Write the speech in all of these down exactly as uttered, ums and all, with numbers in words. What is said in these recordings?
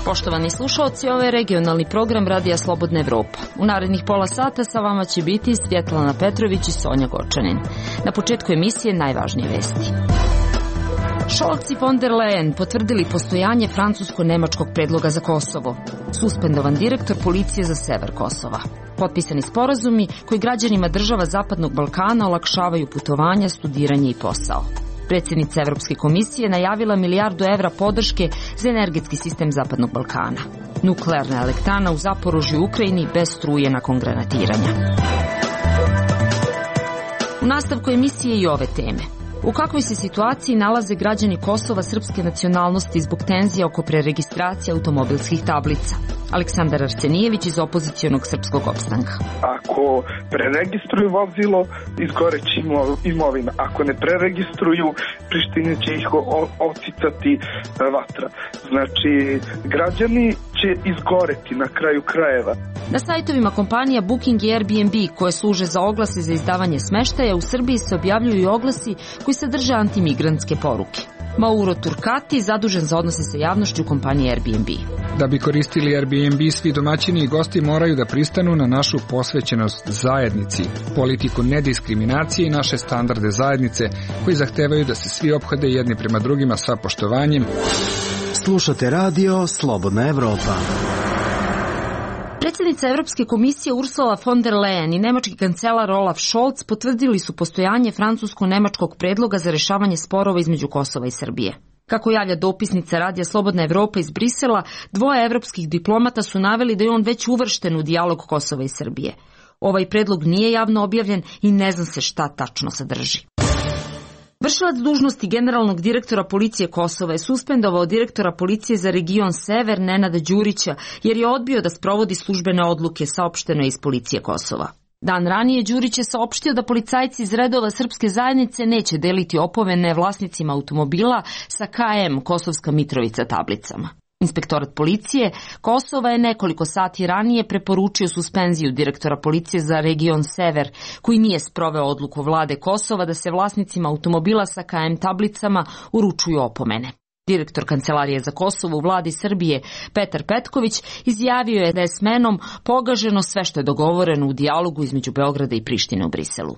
Poštovani slušalci, ovo je regionalni program Radija Slobodna Evropa. U narednih pola sata sa vama će biti Svjetlana Petrović i Sonja Gočanin. Na početku emisije najvažnije vesti. Scholz i von der Leyen potvrdili postojanje francusko-nemačkog predloga za Kosovo. Suspendovan direktor policije za sever Kosova. Potpisani sporazumi koji građanima država Zapadnog Balkana olakšavaju putovanja, studiranje i posao. Predsjednica Evropske komisije najavila milijardu evra podrške za energetski sistem Zapadnog Balkana. Nuklearna elektrana u Zaporožju u Ukrajini bez struje nakon granatiranja. U nastavku emisije i ove teme. U kakvoj se situaciji nalaze građani Kosova srpske nacionalnosti zbog tenzija oko preregistracije automobilskih tablica? Aleksandar Arsenijević iz opozicionog Srpskog opstanka. Ako preregistruju vozilo, izgoreći imovina. Ako ne preregistruju, Prištine će ih ocicati vatra. Znači, građani će izgoreti na kraju krajeva. Na sajtovima kompanija Booking i Airbnb, koje služe za oglase za izdavanje smeštaja, u Srbiji se objavljuju i oglasi koji sadrže antimigrantske poruke. Mauro Turkati, zadužen za odnose sa javnošću kompanije Airbnb. Da bi koristili Airbnb, svi domaćini i gosti moraju da pristanu na našu posvećenost zajednici, politiku nediskriminacije i naše standarde zajednice koji zahtevaju da se svi ophode jedni prema drugima sa poštovanjem. Slušate radio Slobodna Evropa. Predsjednica Evropske komisije Ursula von der Leyen i nemački kancelar Olaf Scholz potvrdili su postojanje francusko-nemačkog predloga za rešavanje sporova između Kosova i Srbije. Kako javlja dopisnica Radija Slobodna Evropa iz Brisela, dvoje evropskih diplomata su naveli da je on već uvršten u dijalog Kosova i Srbije. Ovaj predlog nije javno objavljen i ne zna se šta tačno sadrži. Vršilac dužnosti generalnog direktora policije Kosova je suspendovao direktora policije za region Sever Nenada Đurića jer je odbio da sprovodi službene odluke, saopšteno je iz policije Kosova. Dan ranije Đurić je saopštio da policajci iz redova srpske zajednice neće deliti opomene vlasnicima automobila sa K M Kosovska Mitrovica tablicama. Inspektorat policije Kosova je nekoliko sati ranije preporučio suspenziju direktora policije za region Sever, koji nije sproveo odluku vlade Kosova da se vlasnicima automobila sa K M tablicama uručuju opomene. Direktor Kancelarije za Kosovo u vladi Srbije, Petar Petković, izjavio je da je smenom pogaženo sve što je dogovoreno u dijalogu između Beograda i Prištine u Briselu.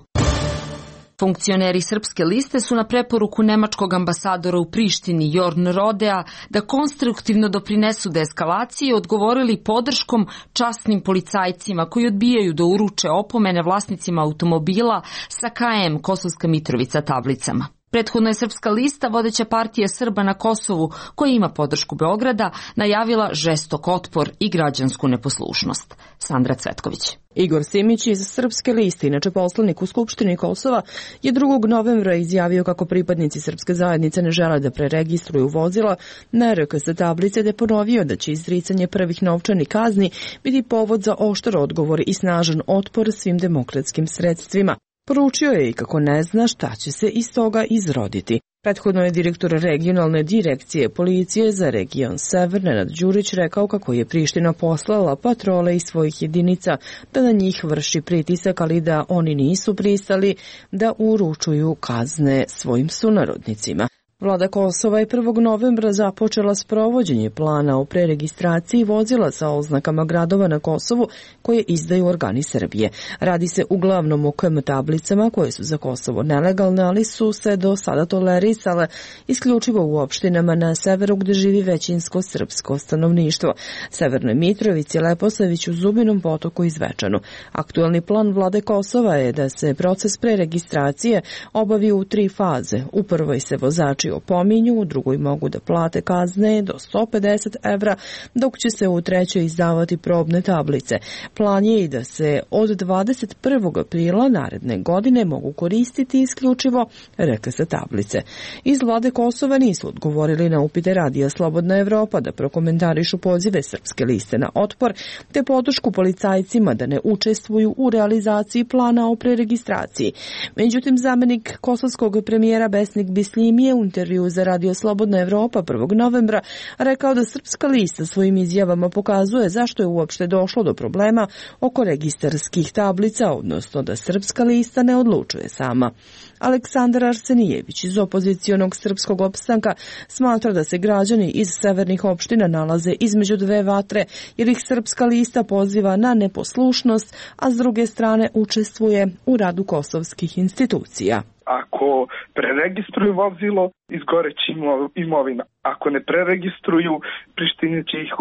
Funkcioneri Srpske liste su na preporuku nemačkog ambasadora u Prištini Jorn Rodea da konstruktivno doprinesu deeskalaciji odgovorili podrškom časnim policajcima koji odbijaju da uruče opomene vlasnicima automobila sa K M Kosovska Mitrovica tablicama. Prethodno je Srpska lista, vodeća partija Srba na Kosovu, koja ima podršku Beograda, najavila žestok otpor i građansku neposlušnost. Sandra Cvetković. Igor Simić iz Srpske liste, inače poslanik u Skupštini Kosova, je drugog novembra izjavio kako pripadnici Srpske zajednice ne žele da preregistruju vozila na R K S tablice, te ponovio da će izricanje prvih novčanih kazni biti povod za oštar odgovor i snažan otpor svim demokratskim sredstvima. Poručio je i kako ne zna šta će se iz toga izroditi. Prethodno je direktor regionalne direkcije policije za region Sever Nenad Đurić rekao kako je Priština poslala patrole iz svojih jedinica da na njih vrši pritisak, ali da oni nisu pristali da uručuju kazne svojim sunarodnicima. Vlada Kosova je prvog novembra započela sprovođenje plana o preregistraciji vozila sa oznakama gradova na Kosovu koje izdaju organi Srbije. Radi se uglavnom o K M tablicama koje su za Kosovo nelegalne, ali su se do sada tolerisale isključivo u opštinama na severu gde živi većinsko srpsko stanovništvo. Severnoj Mitrovici, Leposaviću, Zubinom Potoku i Zvečanu. Aktuelni plan vlade Kosova je da se proces preregistracije obavi u tri faze. U prvoj se vozači opominju, u drugoj mogu da plate kazne do sto pedeset evra, dok će se u trećoj izdavati probne tablice. Plan je i da se od dvadeset prvog aprila naredne godine mogu koristiti isključivo R K S tablice. Iz vlade Kosova nisu odgovorili na upite Radija Slobodna Evropa da prokomentarišu pozive Srpske liste na otpor, te podršku policajcima da ne učestvuju u realizaciji plana o preregistraciji. Međutim, zamenik kosovskog premijera Besnik Bisljimi je u intervju za Radio Slobodna Evropa prvog novembra rekao da Srpska lista svojim izjavama pokazuje zašto je uopšte došlo do problema oko registarskih tablica, odnosno da Srpska lista ne odlučuje sama. Aleksandar Arsenijević iz opozicionog Srpskog opstanka smatra da se građani iz severnih opština nalaze između dve vatre jer ih Srpska lista poziva na neposlušnost, a s druge strane učestvuje u radu kosovskih institucija. Ako preregistruju vozilo, izgoreći imovina. Ako ne preregistruju, Prištini će ih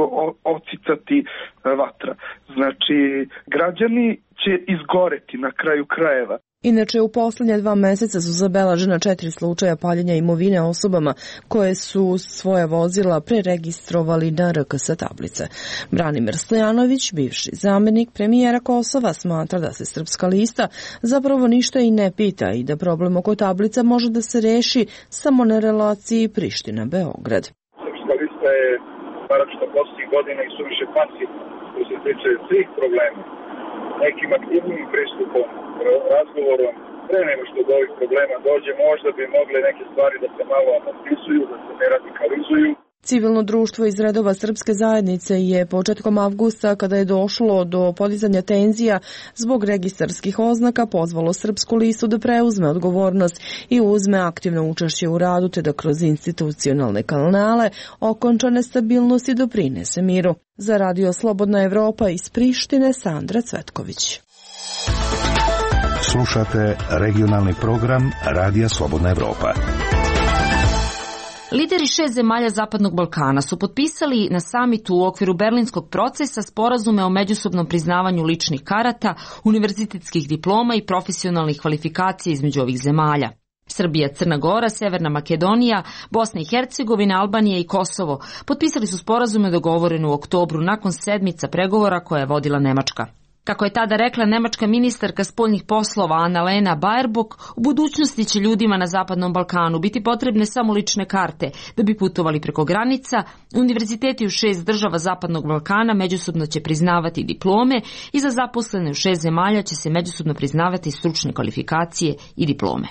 ocicati vatra. Znači, građani će izgoreti na kraju krajeva. Inače, u poslednja dva meseca su zabeležena četiri slučaja paljenja imovine osobama koje su svoje vozila preregistrovali na R K S tablice. Branimir Stojanović, bivši zamenik premijera Kosova, smatra da se Srpska lista zapravo ništa i ne pita i da problem oko tablica može da se reši samo na relaciji Priština-Beograd. Srpska lista je, naročito posljednjih godina, i suviše pasivna što se tiče svih problema. Nekim aktivnim pristupom, razgovorom, pre nego što do ovih problema dođe, možda bi mogle neke stvari da se malo amortizuju, da se ne radikalizuju. Civilno društvo iz redova Srpske zajednice je početkom avgusta, kada je došlo do podizanja tenzija zbog registarskih oznaka, pozvalo Srpsku listu da preuzme odgovornost i uzme aktivno učešće u radu, te da kroz institucionalne kanale okonča nestabilnost i doprinese miru. Za Radio Slobodna Evropa iz Prištine, Sandra Cvetković. Slušate regionalni program Radija Slobodna Evropa. Lideri šest zemalja Zapadnog Balkana su potpisali na samitu u okviru Berlinskog procesa sporazume o međusobnom priznavanju ličnih karata, univerzitetskih diploma i profesionalnih kvalifikacija između ovih zemalja. Srbija, Crna Gora, Severna Makedonija, Bosna i Hercegovina, Albanija i Kosovo potpisali su sporazume dogovorene u oktobru nakon sedmica pregovora koje je vodila Nemačka. Kako je tada rekla nemačka ministarka spoljnih poslova Annalena Baerbock, u budućnosti će ljudima na Zapadnom Balkanu biti potrebne samo lične karte da bi putovali preko granica, univerziteti u šest država Zapadnog Balkana međusobno će priznavati diplome i za zaposlene u šest zemalja će se međusobno priznavati stručne kvalifikacije i diplome.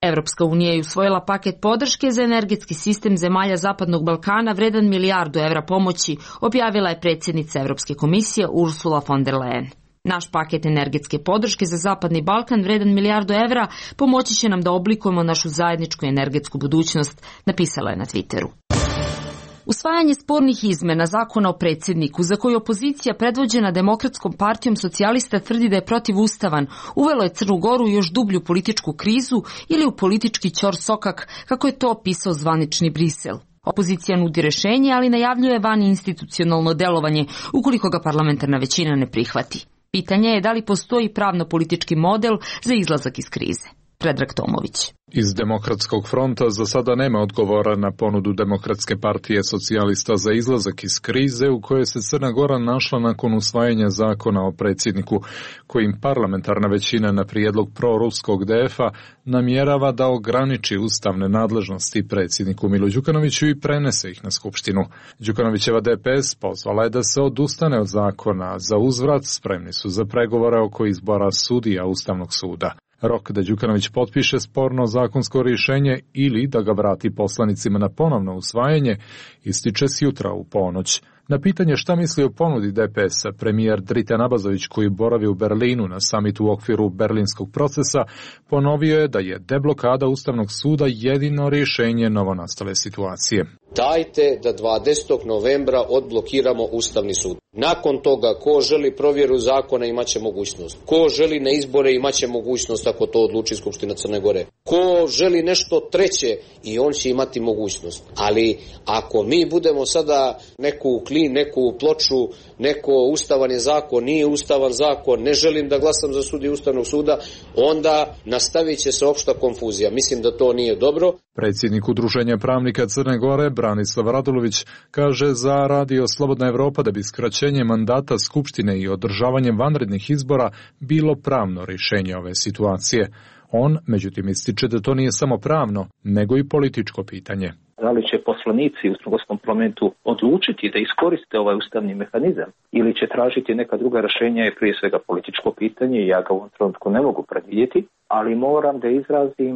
Evropska unija je usvojila paket podrške za energetski sistem zemalja Zapadnog Balkana vredan milijardu evra pomoći, objavila je predsjednica Evropske komisije Ursula von der Leyen. Naš paket energetske podrške za Zapadni Balkan vredan milijardu evra pomoći će nam da oblikujemo našu zajedničku energetsku budućnost, napisala je na Twitteru. Usvajanje spornih izmena zakona o predsjedniku, za koju opozicija predvođena Demokratskom partijom socijalista tvrdi da je protivustavan, uvelo je Crnu Goru u još dublju političku krizu ili u politički ćorsokak, kako je to opisao zvanični Brisel. Opozicija nudi rešenje, ali najavljuje vaninstitucionalno delovanje ukoliko ga parlamentarna većina ne prihvati. Pitanje je da li postoji pravno-politički model za izlazak iz krize. Predrag Tomović. Iz Demokratskog fronta za sada nema odgovora na ponudu Demokratske partije socijalista za izlazak iz krize u kojoj se Crna Gora našla nakon usvajanja zakona o predsjedniku, kojim parlamentarna većina na prijedlog proruskog D F-a namjerava da ograniči ustavne nadležnosti predsjedniku Milu Đukanoviću i prenese ih na Skupštinu. Đukanovićeva D P S pozvala je da se odustane od zakona, za uzvrat spremni su za pregovore oko izbora sudija Ustavnog suda. Rok da Đukanović potpiše sporno zakonsko rješenje ili da ga vrati poslanicima na ponovno usvajanje ističe s jutra u ponoć. Na pitanje šta misli o ponudi D P S-a, premijer Dritan Abazović, koji boravi u Berlinu na samitu u okviru Berlinskog procesa, ponovio je da je deblokada Ustavnog suda jedino rješenje novonastale situacije. Dajte da dvadesetog novembra odblokiramo Ustavni sud. Nakon toga, ko želi provjeru zakona imaće mogućnost. Ko želi na izbore imaće mogućnost ako to odluči Skupština Crne Gore. Ko želi nešto treće i on će imati mogućnost. Ali ako mi budemo sada neku klin, neku ploču, neko ustavan je zakon, nije ustavan zakon, ne želim da glasam za sudiju Ustavnog suda, onda nastavit će se opšta konfuzija. Mislim da to nije dobro. Predsjednik Udruženja pravnika Crne Gore, Branislav Radulović, kaže za Radio Slobodna Evropa da bi skraćenje mandata Skupštine i održavanje vanrednih izbora bilo pravno rješenje ove situacije. On, međutim, ističe da to nije samo pravno, nego i političko pitanje. Da li će poslanici u Crnogorskom parlamentu odlučiti da iskoriste ovaj ustavni mehanizam ili će tražiti neka druga rješenja je prije svega političko pitanje i ja ga u ovom trenutku ne mogu predvidjeti, ali moram da izrazim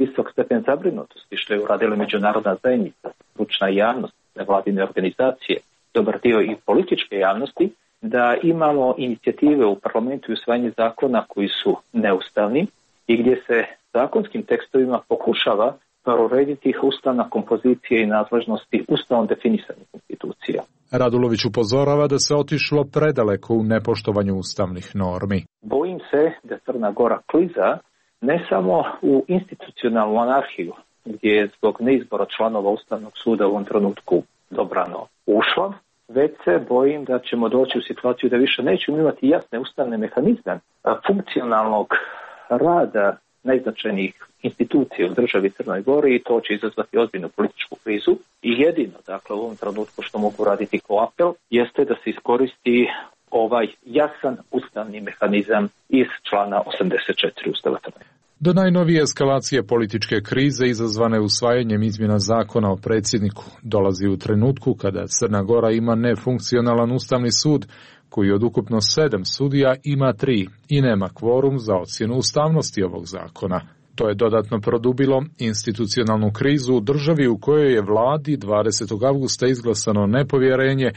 visok stepen zabrinutosti što je uradila međunarodna zajednica, stručna javnost, nevladine organizacije, dobar dio i političke javnosti, da imamo inicijative u parlamentu i usvajanje zakona koji su neustavni i gdje se zakonskim tekstovima pokušava urediti ih ustavna kompozicija i nadležnosti ustavom definisanih institucija. Radulović upozorava da se otišlo predaleko u nepoštovanju ustavnih normi. Bojim se da Crna Gora kliza ne samo u institucionalnu anarhiju, gdje je zbog neizbora članova Ustavnog suda u ovom trenutku dobrano ušla, već se bojim da ćemo doći u situaciju da više nećemo imati jasne ustavne mehanizme funkcionalnog rada najznačajnijih institucija u državi Crnoj Gori i to će izazvati ozbiljnu političku krizu. I jedino, dakle, u ovom trenutku što mogu raditi kao apel jeste da se iskoristi ovaj jasan ustavni mehanizam iz člana osamdeset četiri Ustava Crne. Do najnovije eskalacije političke krize izazvane usvajanjem izmjena zakona o predsjedniku dolazi u trenutku kada Crna Gora ima nefunkcionalan ustavni sud koji od ukupno sedam sudija ima tri i nema kvorum za ocjenu ustavnosti ovog zakona. To je dodatno produbilo institucionalnu krizu u državi u kojoj je vladi dvadesetog avgusta izglasano nepovjerenje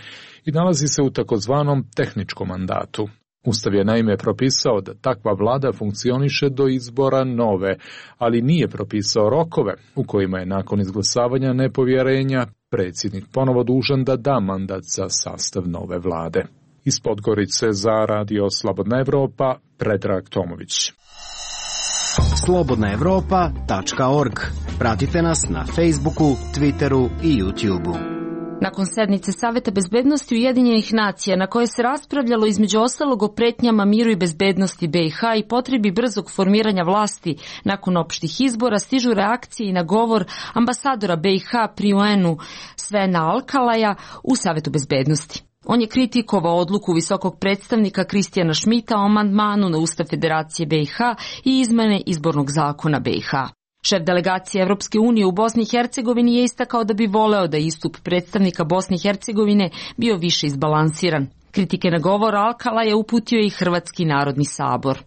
i nalazi se u takozvanom tehničkom mandatu. Ustav je naime propisao da takva vlada funkcioniše do izbora nove, ali nije propisao rokove u kojima je nakon izglasavanja nepovjerenja predsjednik ponovo dužan da da mandat za sastav nove vlade. Iz Podgorice za Radio Slobodna Evropa, Predrag Tomović. slobodna evropa tačka org. Pratite nas na Facebooku, Twitteru i YouTubeu. Nakon sednice Saveta bezbednosti Ujedinjenih nacija na kojoj se raspravljalo između ostalog o pretnjama miru i bezbednosti B i H i potrebi brzog formiranja vlasti nakon opštih izbora, stižu reakcije i na govor ambasadora B i H pri U N-u Svena Alkalaja u Savetu bezbednosti. On je kritikovao odluku visokog predstavnika Kristijana Šmita o amandmanu na Ustav Federacije B i H i izmene izbornog zakona B i H. Šef delegacije Evropske unije u Bosni i Hercegovini je istakao da bi voleo da istup predstavnika Bosne i Hercegovine bio više izbalansiran. Kritike na govor Alkala je uputio i Hrvatski narodni sabor.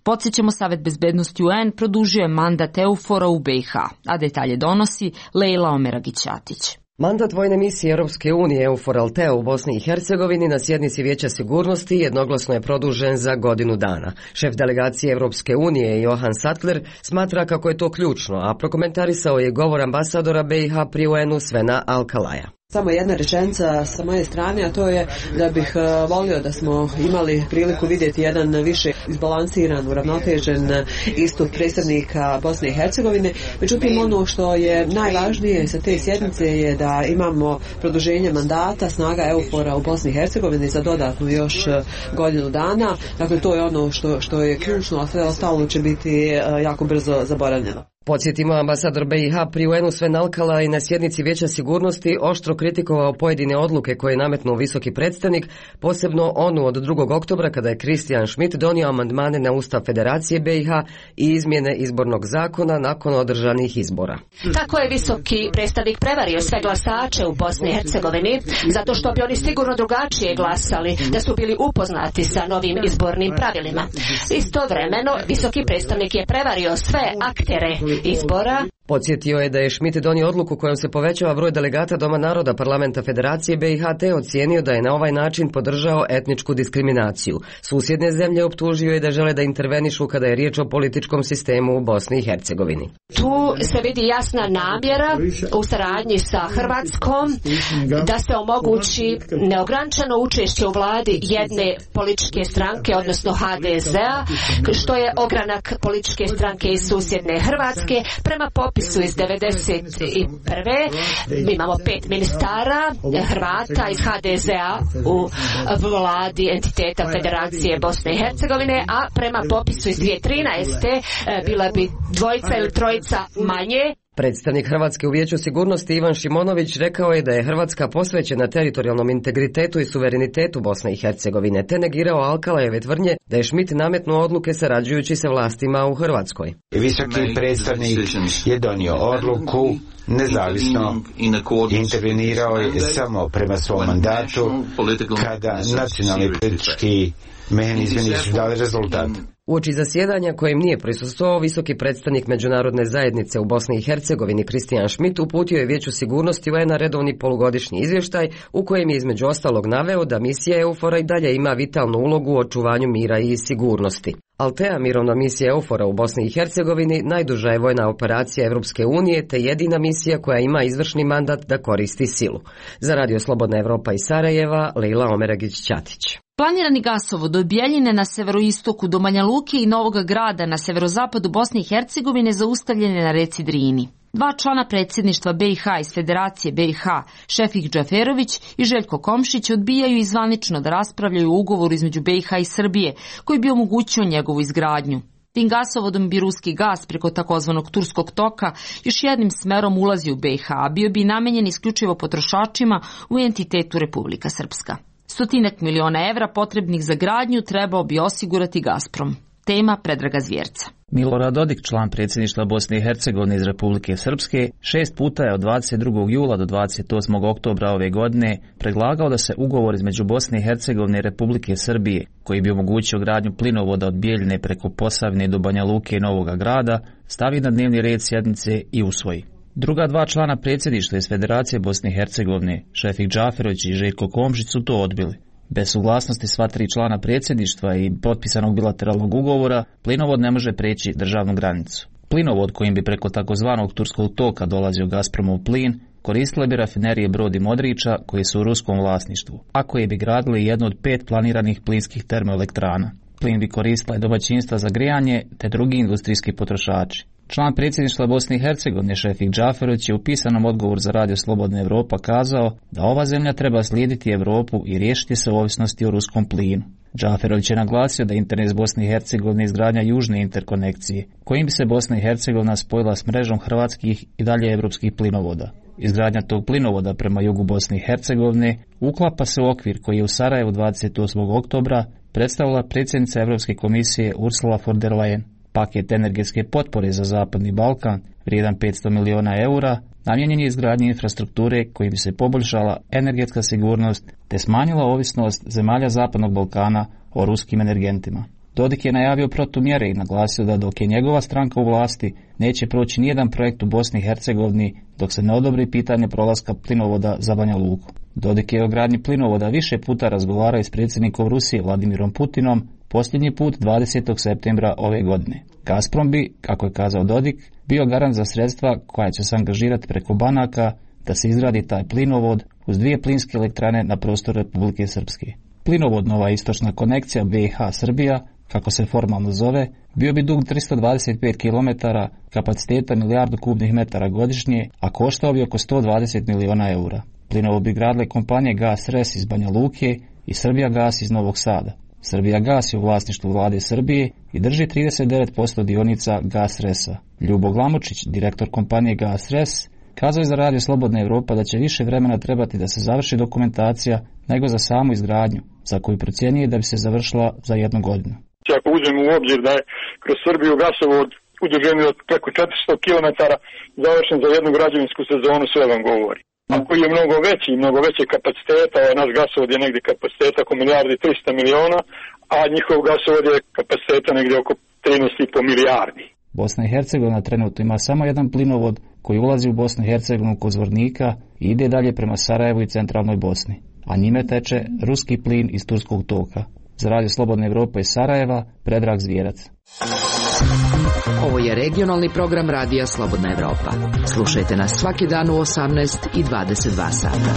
Podsjećamo, Savet bezbednosti U N produžio je mandat EUFOR-a u B i H, a detalje donosi Lejla Omeragić-Atić. Mandat vojne misije Europske unije EUFOR Altea u Bosni i Hercegovini na sjednici Vijeća sigurnosti jednoglasno je produžen za godinu dana. Šef delegacije Europske unije Johan Sattler smatra kako je to ključno, a prokomentarisao je govor ambasadora B i H pri U N-u Svena Alkalaja. Samo jedna rečenica sa moje strane, a to je da bih volio da smo imali priliku vidjeti jedan više izbalansiran, uravnotežen istup predstavnika Bosne i Hercegovine. Međutim, ono što je najvažnije sa te sjednice je da imamo produženje mandata snaga EUFOR-a u Bosni i Hercegovini za dodatnu još godinu dana. Dakle, to je ono što, što je ključno, a sve ostalo će biti jako brzo zaboravljeno. Podsjetimo, ambasador B i H pri U N-u Sven Alkala i na sjednici Vijeća sigurnosti oštro kritikovao pojedine odluke koje je nametnuo visoki predstavnik, posebno onu od drugog oktobra kada je Kristijan Šmit donio amandmane na Ustav Federacije B i H i izmjene izbornog zakona nakon održanih izbora. Tako je visoki predstavnik prevario sve glasače u Bosni i Hercegovini, zato što bi oni sigurno drugačije glasali da su bili upoznati sa novim izbornim pravilima. Istovremeno, visoki predstavnik je prevario sve aktere izbora. Podsjetio je da je Šmit donio odluku kojom se povećava broj delegata Doma naroda Parlamenta Federacije B i H te ocijenio da je na ovaj način podržao etničku diskriminaciju. Susjedne zemlje optužio je da žele da intervenišu kada je riječ o političkom sistemu u Bosni i Hercegovini. Tu se vidi jasna namjera u saradnji sa Hrvatskom da se omogući neograničeno učešće u vladi jedne političke stranke, odnosno H D Z-a, što je ogranak političke stranke iz susjedne Hrvatske. Prema popisu iz devedeset prve mi imamo pet ministara Hrvata iz H D Z-a u vladi entiteta Federacije Bosne i Hercegovine, a prema popisu iz dvije tisuće trinaeste bila bi dvojica ili trojica manje. Predstavnik Hrvatske u Vijeću sigurnosti Ivan Šimonović rekao je da je Hrvatska posvećena teritorijalnom integritetu i suverenitetu Bosne i Hercegovine, te negirao Alkalajeve tvrdnje da je Šmit nametnuo odluke sarađujući sa vlastima u Hrvatskoj. Visoki predstavnik je donio odluku, nezavisno intervenirao je samo prema svom mandatu kada nacionalni politički mehanizmi nisu dali rezultat. Uoči zasjedanja kojem nije prisustvovao visoki predstavnik međunarodne zajednice u Bosni i Hercegovini Kristijan Šmit uputio je Vijeću sigurnosti U N-a redovni polugodišnji izvještaj u kojem je između ostalog naveo da misija EUFOR-a i dalje ima vitalnu ulogu u očuvanju mira i sigurnosti. Altea, mirovna misija EUFOR-a u Bosni i Hercegovini, najduža je vojna operacija Evropske unije te jedina misija koja ima izvršni mandat da koristi silu. Za Radio Slobodna Evropa iz Sarajeva, Leila Omeragić-Ćatić. Planirani gasovod od Bjeljine na severoistoku do Banja Luke i Novog Grada na severozapadu Bosne i Hercegovine zaustavljen je na reci Drini. Dva člana predsjedništva B i H iz Federacije B i H, Šefik Džaferović i Željko Komšić, odbijaju i zvanično da raspravljaju o ugovoru između B i H i Srbije, koji bi omogućio njegovu izgradnju. Tim gasovodom bi ruski gas preko takozvanog turskog toka još jednim smerom ulazi u B i H, a bio bi namenjen isključivo potrošačima u entitetu Republika Srpska. Stotinak miliona evra potrebnih za gradnju trebao bi osigurati Gazprom. Tema Predraga Zvjerca. Milorad Dodik, član predsjedništva Bosne i Hercegovine iz Republike Srpske, šest puta je od dvadeset drugog jula do dvadeset osmog oktobra ove godine predlagao da se ugovor između Bosne i Hercegovine i Republike Srbije, koji bi omogućio gradnju plinovoda od Bjeljine preko Posavine do Banja Luke i Novoga Grada, stavi na dnevni red sjednice i usvoji. Druga dva člana predsjedništva iz Federacije Bosne i Hercegovine, Šefik Džaferović i Željko Komšić, su to odbili. Bez suglasnosti sva tri člana predsjedništva i potpisanog bilateralnog ugovora, plinovod ne može preći državnu granicu. Plinovod kojim bi preko takozvanog turskog toka dolazio Gazpromov plin, koristile bi rafinerije Brod i Modriča koji su u ruskom vlasništvu, a koji bi gradili jednu od pet planiranih plinskih termoelektrana. Plin bi koristile domaćinstva za grijanje te drugi industrijski potrošači. Član predsjedništva Bosne i Hercegovine Šefik Džaferović je u pisanom odgovoru za Radio Slobodna Evropa kazao da ova zemlja treba slijediti Evropu i riješiti se ovisnosti o ruskom plinu. Džaferović je naglasio da interes Bosne i Hercegovine izgradnja južne interkonekcije, kojim bi se Bosna i Hercegovina spojila s mrežom hrvatskih i dalje evropskih plinovoda. Izgradnja tog plinovoda prema jugu Bosne i Hercegovine uklapa se u okvir koji je u Sarajevu dvadeset osmog oktobra predstavila predsjednica Europske komisije Ursula von der Leyen. Paket energetske potpore za Zapadni Balkan, vrijedan petsto miliona eura, namijenjen je izgradnji infrastrukture kojim bi se poboljšala energetska sigurnost te smanjila ovisnost zemalja Zapadnog Balkana o ruskim energentima. Dodik je najavio protumjere i naglasio da dok je njegova stranka u vlasti, neće proći nijedan projekt u Bosni i Hercegovini dok se ne odobri pitanje prolaska plinovoda za Banja Luku. Dodik je o gradnji plinovoda više puta razgovarao s predsjednikom Rusije Vladimirom Putinom, posljednji put dvadesetog septembra ove godine. Gazprom bi, kako je kazao Dodik, bio garant za sredstva koja će se angažirati preko banaka da se izgradi taj plinovod uz dvije plinske elektrane na prostoru Republike Srpske. Plinovod Nova istočna konekcija B i H Srbija, kako se formalno zove, bio bi dug tristo dvadeset pet kilometara, kapaciteta milijardu kubnih metara godišnje, a koštao bi oko sto dvadeset miliona eura. Plinovod bi gradile kompanije Gas Res iz Banja Luke i Srbija Gas iz Novog Sada. Srbija Gas je u vlasništvu vlade Srbije i drži trideset devet posto dionica Gas Resa. Ljubo Glamočić, direktor kompanije Gas Res, kazao je za Radio Slobodna Evropa da će više vremena trebati da se završi dokumentacija nego za samu izgradnju, za koju procjenjuje da bi se završila za jednu godinu. Ako uzmemo u obzir da je kroz Srbiju gasovod u dužini od preko četiristo kilometara završen za jednu građevinsku sezonu, sve vam govori. Ako je mnogo veći, mnogo veće kapaciteta, ovaj naš gasovod je negdje kapaciteta oko milijardi trista miliona, a njihov gasovod je kapaciteta negdje oko trinaest i po milijardi. Bosna i Hercegovina trenutno ima samo jedan plinovod koji ulazi u Bosnu i Hercegovinu kod Zvornika i ide dalje prema Sarajevu i centralnoj Bosni, a njime teče ruski plin iz turskog toka. Za Radio Slobodna Evropa iz Sarajeva, Predrag Zvjerac. Ovo je regionalni program Radija Slobodna Evropa. Slušajte nas svaki dan u osamnaest i dvadeset dva sata.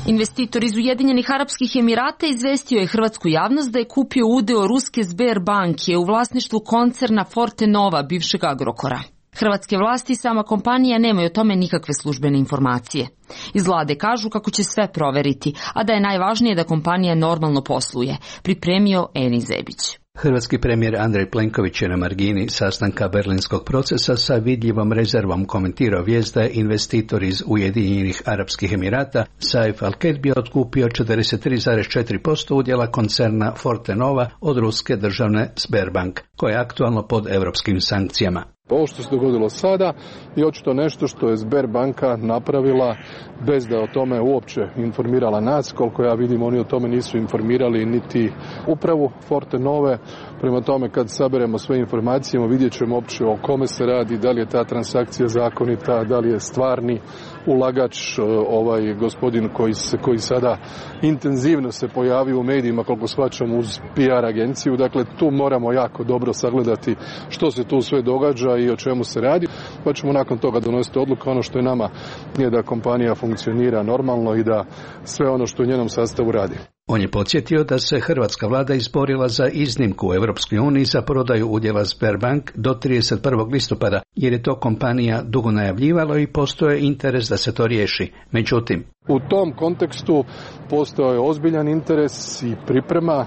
Investitor iz Ujedinjenih Arapskih Emirata izvestio je hrvatsku javnost da je kupio udeo ruske Sberbanke u vlasništvu koncerna Forte Nova, bivšeg Agrokora. Hrvatske vlasti i sama kompanija nemaju o tome nikakve službene informacije. Iz vlade kažu kako će sve proveriti, a da je najvažnije da kompanija normalno posluje, pripremio Eni Zebić. Hrvatski premijer Andrej Plenković je na margini sastanka berlinskog procesa sa vidljivom rezervom komentirao vijest da je investitor iz Ujedinjenih Arapskih Emirata Saif Al-Kedbi otkupio četrdeset tri zarez četiri posto udjela koncerna Forte Nova od ruske državne Sberbank, koja je aktualno pod europskim sankcijama. Ovo što se dogodilo sada je očito nešto što je Sberbanka napravila bez da o tome uopće informirala nas. Koliko ja vidim, oni o tome nisu informirali niti upravu Fortenove. Prema tome, kad saberemo sve informacije, vidjet ćemo uopće o kome se radi, da li je ta transakcija zakonita, da li je stvarni ulagač ovaj gospodin koji se koji sada intenzivno se pojavio u medijima, koliko shvaćam, uz P R agenciju. Dakle, tu moramo jako dobro sagledati što se tu sve događa i o čemu se radi, pa ćemo nakon toga donositi odluku. Ono što je nama je da kompanija funkcionira normalno i da sve ono što u njenom sastavu radi. On je podsjetio da se hrvatska vlada izborila za iznimku u Europskoj uniji za prodaju udjela Sberbank do trideset prvog listopada, jer je to kompanija dugo najavljivalo i postoje interes da se to riješi. Međutim, u tom kontekstu postojao je ozbiljan interes i priprema e,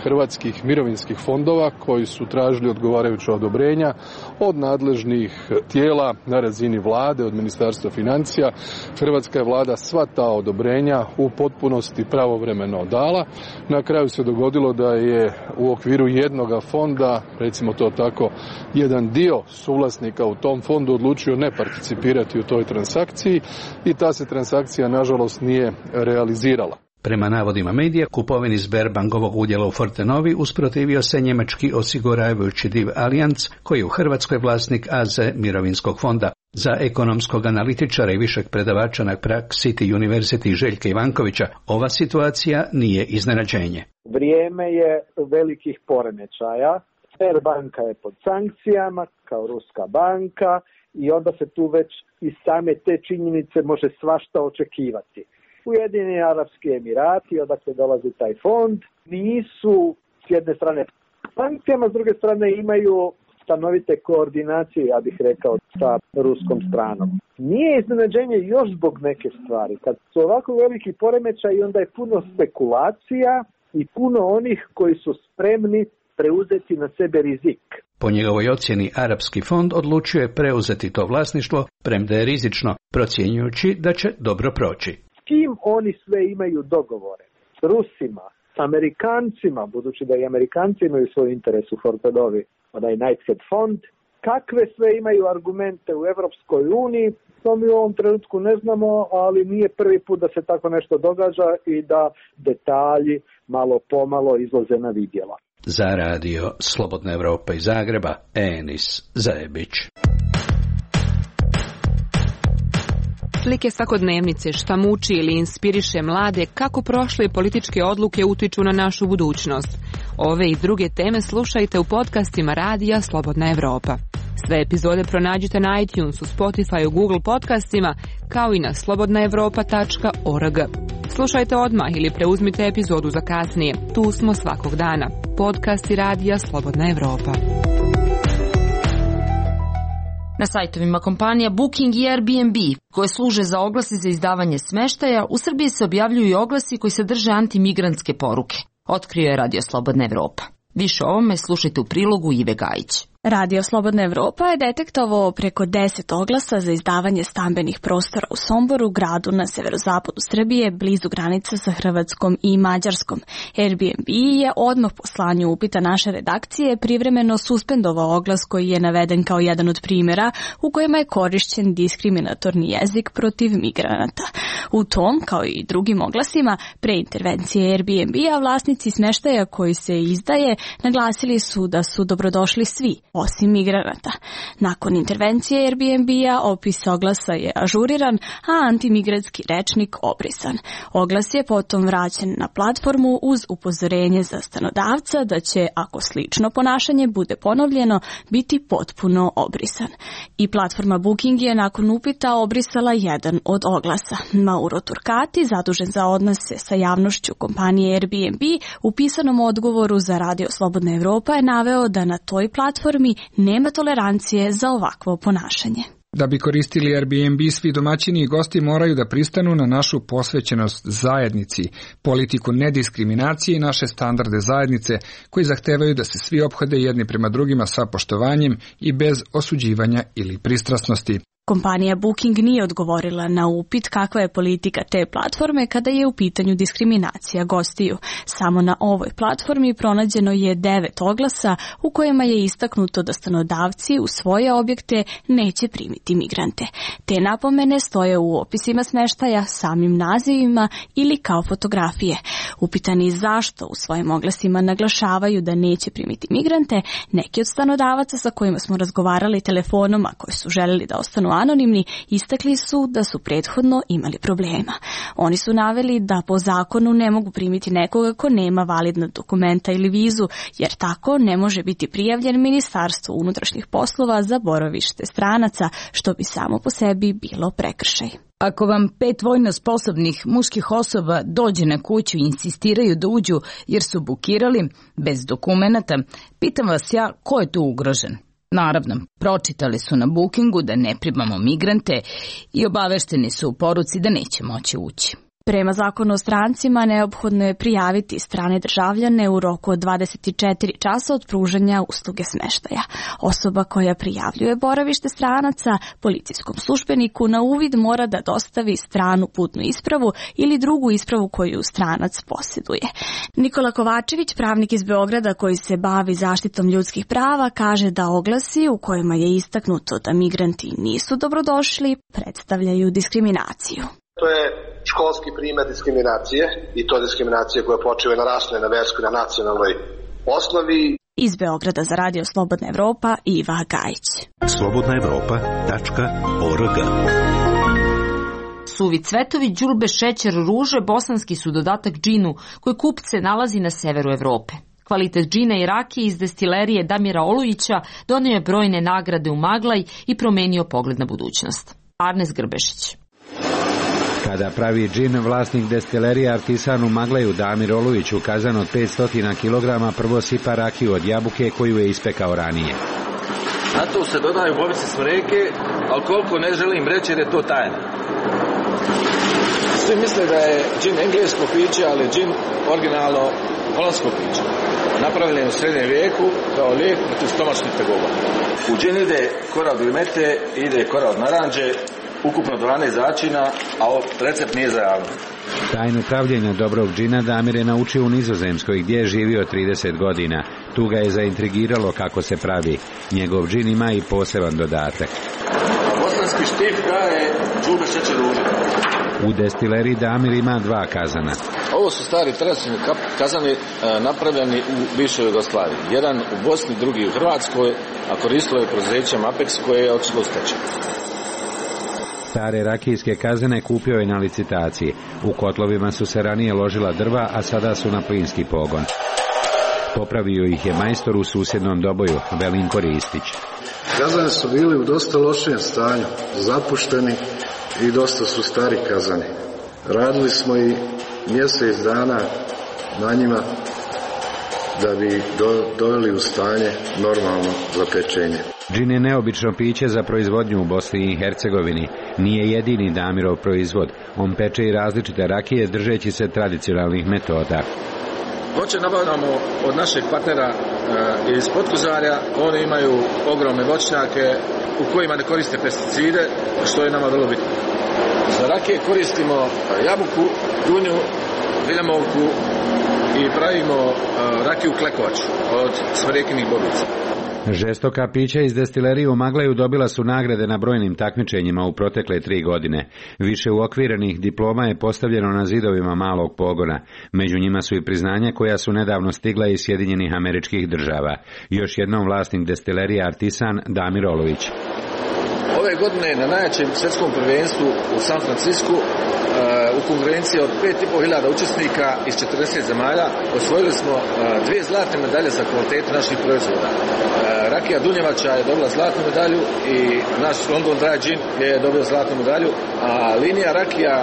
hrvatskih mirovinskih fondova koji su tražili odgovarajuća odobrenja od nadležnih tijela na razini vlade, od Ministarstva financija. Hrvatska je vlada sva ta odobrenja u potpunosti pravovremeno dala. Na kraju se dogodilo da je u okviru jednoga fonda, recimo to tako, jedan dio suvlasnika u tom fondu odlučio ne participirati u toj transakciji i ta se transakcija nažalost nije realizirala. Prema navodima medija, kupovini Sberbankovog udjela u Fortenovi usprotivio se njemački osiguravajući div Allianz, koji je u Hrvatskoj vlasnik A Z mirovinskog fonda. Za ekonomskog analitičara i višeg predavača na Prague City University Željka Ivankovića, ova situacija nije iznenađenje. Vrijeme je velikih poremećaja. Sberbanka je pod sankcijama kao ruska banka i onda se tu već iz same te činjenice može svašta očekivati. Ujedinjeni Arapski Emirati, odakle dolazi taj fond, nisu s jedne strane sankcijama, s druge strane imaju stanovite koordinacije, ja bih rekao, sa ruskom stranom. Nije iznenađenje još zbog neke stvari. Kad su ovako veliki poremećaji, onda je puno spekulacija i puno onih koji su spremni preuzeti na sebe rizik. Po njegovoj ocjeni, Arapski fond odlučio je preuzeti to vlasništvo, premda je rizično, procjenjujući da će dobro proći. S kim oni sve imaju dogovore? S Rusima, s Amerikancima, budući da i Amerikanci imaju svoj interes u Fortenovi, onaj Knighthead fond. Kakve sve imaju argumente u Evropskoj uniji, to mi u ovom trenutku ne znamo, ali nije prvi put da se tako nešto događa i da detalji malo pomalo izlaze na vidjelo. Za radio Slobodna Evropa iz Zagreba, Enis Zajebić. Slike svakodnevnice, šta muči ili inspiriše mlade, kako prošle političke odluke utiču na našu budućnost. Ove i druge teme slušajte u podcastima radija Slobodna Evropa. Sve epizode pronađite na iTunesu, Spotifyu, Google podcastima, kao i na slobodna evropa tačka org. Slušajte odmah ili preuzmite epizodu za kasnije. Tu smo svakog dana. Podcasti radija Slobodna Evropa. Na sajtovima kompanija Booking i Airbnb, koje služe za oglasi za izdavanje smeštaja, u Srbiji se objavljuju i oglasi koji sadrže antimigrantske poruke. Otkrio je Radio Slobodna Evropa. Više o ovome slušajte u prilogu Ive Gajić. Radio Slobodna Evropa je detektovao preko deset oglasa za izdavanje stambenih prostora u Somboru, gradu na severozapadu Srbije, blizu granica sa Hrvatskom i Mađarskom. Airbnb je odmah po slanju upita naše redakcije privremeno suspendovao oglas koji je naveden kao jedan od primjera u kojima je korišćen diskriminatorni jezik protiv migranata. U tom, kao i drugim oglasima, pre intervencije Airbnb-a vlasnici smeštaja koji se izdaje naglasili su da su dobrodošli svi, osim migranata. Nakon intervencije Airbnb-a opis oglasa je ažuriran, a antimigratski rečnik obrisan. Oglas je potom vraćen na platformu uz upozorenje za stanodavca da će, ako slično ponašanje bude ponovljeno, biti potpuno obrisan. I platforma Booking je nakon upita obrisala jedan od oglasa. Mauro Turcati, zadužen za odnose sa javnošću kompanije Airbnb, u pisanom odgovoru za Radio Slobodna Evropa je naveo da na toj platformi nema tolerancije za ovakvo ponašanje. Da bi koristili Airbnb, svi domaćini i gosti moraju da pristanu na našu posvećenost zajednici, politiku nediskriminacije i naše standarde zajednice, koji zahtevaju da se svi ophode jedni prema drugima sa poštovanjem i bez osuđivanja ili pristrasnosti. Kompanija Booking nije odgovorila na upit kakva je politika te platforme kada je u pitanju diskriminacija gostiju. Samo na ovoj platformi pronađeno je devet oglasa u kojima je istaknuto da stanodavci u svoje objekte neće primiti migrante. Te napomene stoje u opisima smeštaja, samim nazivima ili kao fotografije. Upitani zašto u svojim oglasima naglašavaju da neće primiti migrante, neki od stanodavaca sa kojima smo razgovarali telefonom, a koji su želeli da ostanu anonimni, istakli su da su prethodno imali problema. Oni su naveli da po zakonu ne mogu primiti nekoga ko nema validna dokumenta ili vizu, jer tako ne može biti prijavljen Ministarstvu unutrašnjih poslova za boravište stranaca, što bi samo po sebi bilo prekršaj. Ako vam pet vojno sposobnih muških osoba dođe na kuću i insistiraju da uđu jer su bukirali bez dokumenata, pitam vas ja ko je tu ugrožen? Naravno, pročitali su na Bookingu da ne primamo migrante i obavešteni su u poruci da neće moći ući. Prema zakonu o strancima neophodno je prijaviti strane državljane u roku od dvadeset četiri časa od pružanja usluge smeštaja. Osoba koja prijavljuje boravište stranaca policijskom službeniku na uvid mora da dostavi stranu putnu ispravu ili drugu ispravu koju stranac posjeduje. Nikola Kovačević, pravnik iz Beograda koji se bavi zaštitom ljudskih prava, kaže da oglasi u kojima je istaknuto da migranti nisu dobrodošli predstavljaju diskriminaciju. To je školski primjer diskriminacije i to diskriminacije koja počiva na rasnoj, na verskoj, na nacionalnoj osnovi. Iz Beograda za Radio Slobodna Evropa, Iva Gajić. slobodna evropa tačka org. Suvi cvetovi, đulbe, šećer, ruže, bosanski su dodatak džinu koji kupce nalazi na severu Evrope. Kvalitet džina i rakije iz destilerije Damira Olujića donio je brojne nagrade u Maglaj i promenio pogled na budućnost. Arnes Grbešić. Kada pravi džin, vlasnik destilerije Artisan u Maglaju Damir Olujić ukazan od petsto kilograma prvo sipa rakiju od jabuke koju je ispekao ranije. Na to se dodaju bobice smreke, ali koliko ne želim reći jer je to tajna. Svi misle da je džin englesko piće, ali džin originalno holandsko piće. Napravljen u srednjem vijeku kao lijek protiv stomačnih tegoba. U džin ide kora od limete, ide kora od naranđe, ukupno dvanaest začina, a recept nije za javnost. Tajnu pravljenja dobrog džina Damir je naučio u Nizozemskoj gdje je živio trideset godina. Tu ga je zaintrigiralo kako se pravi. Njegov džin ima i poseban dodatak. Bosanski štif je đulbe, šećer, ruže. U destileriji Damir ima dva kazana. Ovo su stari tradicionalni kazani napravljeni u bivšoj Jugoslaviji. Jedan u Bosni, drugi u Hrvatskoj, a koristilo je preduzeće Apex koje je otišlo u stečaj. Stare rakijske kazane kupio je na licitaciji. U kotlovima su se ranije ložila drva, a sada su na plinski pogon. Popravio ih je majstor u susjednom Doboju, Velinko Ristić. Kazane su bili u dosta lošijem stanju, zapušteni i dosta su stari kazani. Radili smo i mjesec dana na njima da bi do, doveli u stanje normalno za pečenje. Džin je neobično piće za proizvodnju u Bosni i Hercegovini. Nije jedini Damirov proizvod. On peče i različite rakije držeći se tradicionalnih metoda. Voće nabavljamo od našeg partnera e, iz Podkozarja. Oni imaju ogromne voćnjake u kojima ne koriste pesticide, što je nama vrlo bitno. Za rakije koristimo jabuku, dunju, viljamovku i pravimo e, rakiju klekovač od smrekinih bobica. Žestoka pića iz destilerije u Maglaju dobila su nagrade na brojnim takmičenjima u protekle tri godine. Više uokvirenih diploma je postavljeno na zidovima malog pogona. Među njima su i priznanja koja su nedavno stigla iz Sjedinjenih Američkih Država. Još jednom vlasnik destilerije Artisan Damir Olujić. Ove godine na najjačem svjetskom prvenstvu u San Francisku u konkurenciji od pet i pol hiljada učesnika iz četrdeset zemalja osvojili smo dvije zlatne medalje za kvalitetu naših proizvoda. Rakija Dunjevača je dobila zlatnu medalju i naš London Dry Gin je dobio zlatnu medalju, a linija rakija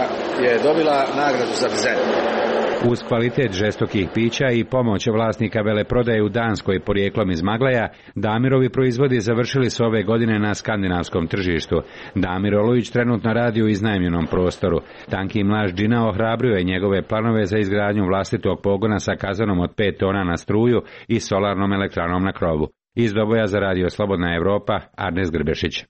je dobila nagradu za dizajn. Uz kvalitet žestokih pića i pomoć vlasnika veleprodaje u Danskoj porijeklom iz Maglaja, Damirovi proizvodi završili su ove godine na skandinavskom tržištu. Damir Olujić trenutno radi u iznajmljenom prostoru. Tanki mlaž džina ohrabrio je njegove planove za izgradnju vlastitog pogona sa kazanom od pet tona na struju i solarnom elektranom na krovu. Iz Doboja za Radio Slobodna Evropa, Arnes Grbešić.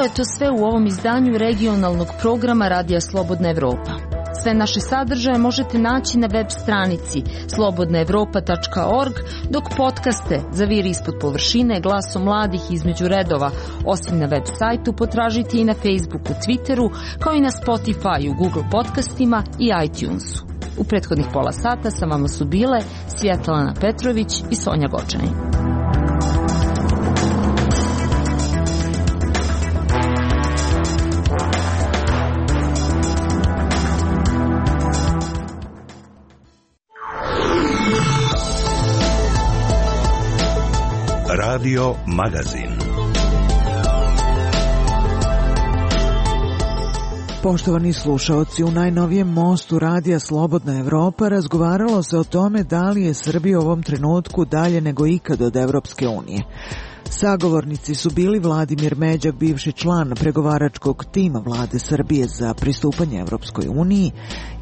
Bilo je to sve u ovom izdanju regionalnog programa Radija Slobodna Evropa. Sve naše sadržaje možete naći na web stranici slobodna evropa tačka org, dok podcaste Zaviri ispod površine, Glasom mladih između redova, osim na web sajtu, potražite i na Facebooku, Twitteru, kao i na Spotifyu, Google podcastima i iTunesu. U prethodnih pola sata sa vama su bile Svjetlana Petrović i Sonja Gočanin. Radio Magazin. Poštovani slušaoci, u najnovijem mostu Radija Slobodna Evropa razgovaralo se o tome da li je Srbija u ovom trenutku dalje nego ikad od Evropske unije. Sagovornici su bili Vladimir Međak, bivši član pregovaračkog tima vlade Srbije za pristupanje Evropskoj uniji,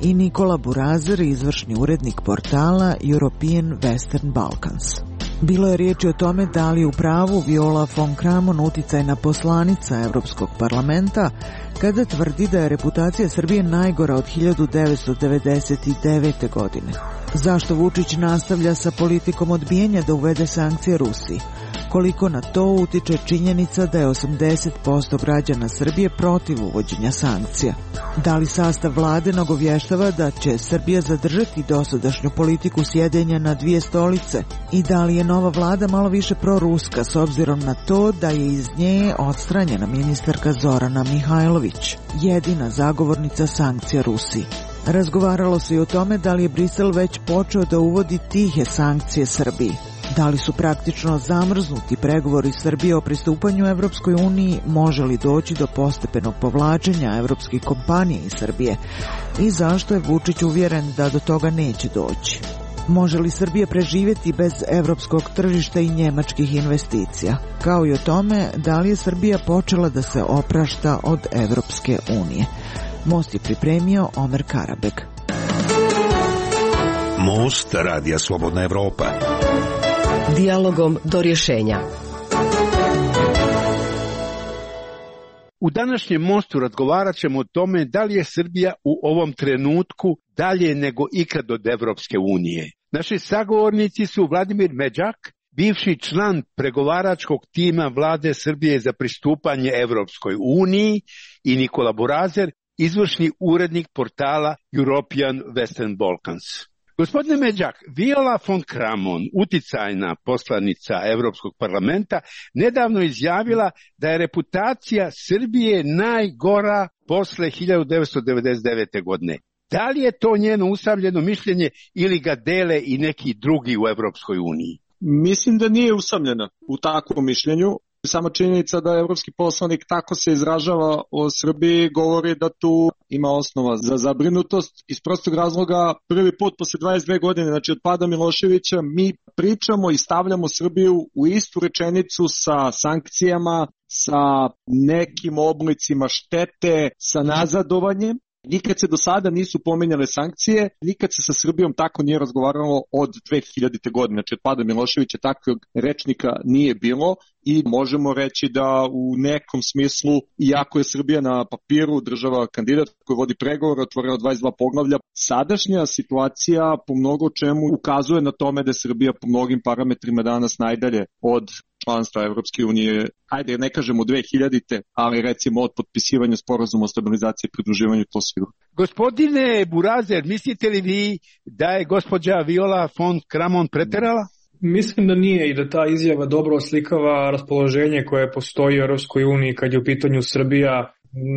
i Nikola Burazer, izvršni urednik portala European Western Balkans. Bilo je riječi o tome da li u pravu Viola von Kramon, uticajna poslanica Evropskog parlamenta, kada tvrdi da je reputacija Srbije najgora od hiljadu devetsto devedeset devete. godine. Zašto Vučić nastavlja sa politikom odbijanja da uvede sankcije Rusiji? Koliko na to utiče činjenica da je osamdeset posto građana Srbije protiv uvođenja sankcija? Da li sastav vlade nagovještava da će Srbija zadržati dosadašnju politiku sjedenja na dvije stolice? I da li je nova vlada malo više proruska s obzirom na to da je iz nje odstranjena ministarka Zorana Mihajlović, jedina zagovornica sankcija Rusiji? Razgovaralo se i o tome da li je Brisel već počeo da uvodi tihe sankcije Srbiji. Da li su praktično zamrznuti pregovori Srbije o pristupanju Evropskoj uniji, može li doći do postepenog povlačenja evropskih kompanija iz Srbije i zašto je Vučić uvjeren da do toga neće doći? Može li Srbija preživjeti bez evropskog tržišta i njemačkih investicija? Kao i o tome da li je Srbija počela da se oprašta od Evropske unije. Most je pripremio Omer Karabeg. Most Radija Slobodna Evropa. Dijalogom do rješenja. U današnjem mostu razgovarat ćemo o tome da li je Srbija u ovom trenutku dalje nego ikad od Evropske unije. Naši sagovornici su Vladimir Međak, bivši član pregovaračkog tima vlade Srbije za pristupanje Evropskoj uniji, i Nikola Burazer, izvršni urednik portala European Western Balkans. Gospodine Međak, Viola von Kramon, uticajna poslanica Evropskog parlamenta, nedavno izjavila da je reputacija Srbije najgora posle hiljadu devetsto devedeset devete. godine. Da li je to njeno usamljeno mišljenje ili ga dele i neki drugi u Evropskoj uniji? Mislim da nije usamljena u takvom mišljenju. Sama činjenica da evropski poslanik tako se izražava o Srbiji govori da tu ima osnova za zabrinutost. Iz prostog razloga, prvi put posle dvadeset dve godine, znači od pada Miloševića, mi pričamo i stavljamo Srbiju u istu rečenicu sa sankcijama, sa nekim oblicima štete, sa nazadovanjem. Nikad se do sada nisu pominjale sankcije, nikad se sa Srbijom tako nije razgovaralo od dve hiljadite. godine, znači od pada Miloševića takvog rečnika nije bilo i možemo reći da u nekom smislu, iako je Srbija na papiru država kandidat koji vodi pregovore, otvorila dvadeset dva poglavlja, sadašnja situacija po mnogo čemu ukazuje na tome da je Srbija po mnogim parametrima danas najdalje od članstva Evropske unije, ajde ne kažemo dve hiljadite. ali recimo od potpisivanja sporazuma o stabilizaciji i pridruživanju, to sigurno. Gospodine Burazer, mislite li vi da je gospođa Viola von Kramon preterala? Mislim da nije i da ta izjava dobro oslikava raspoloženje koje postoji u Europskoj uniji kad je u pitanju Srbija.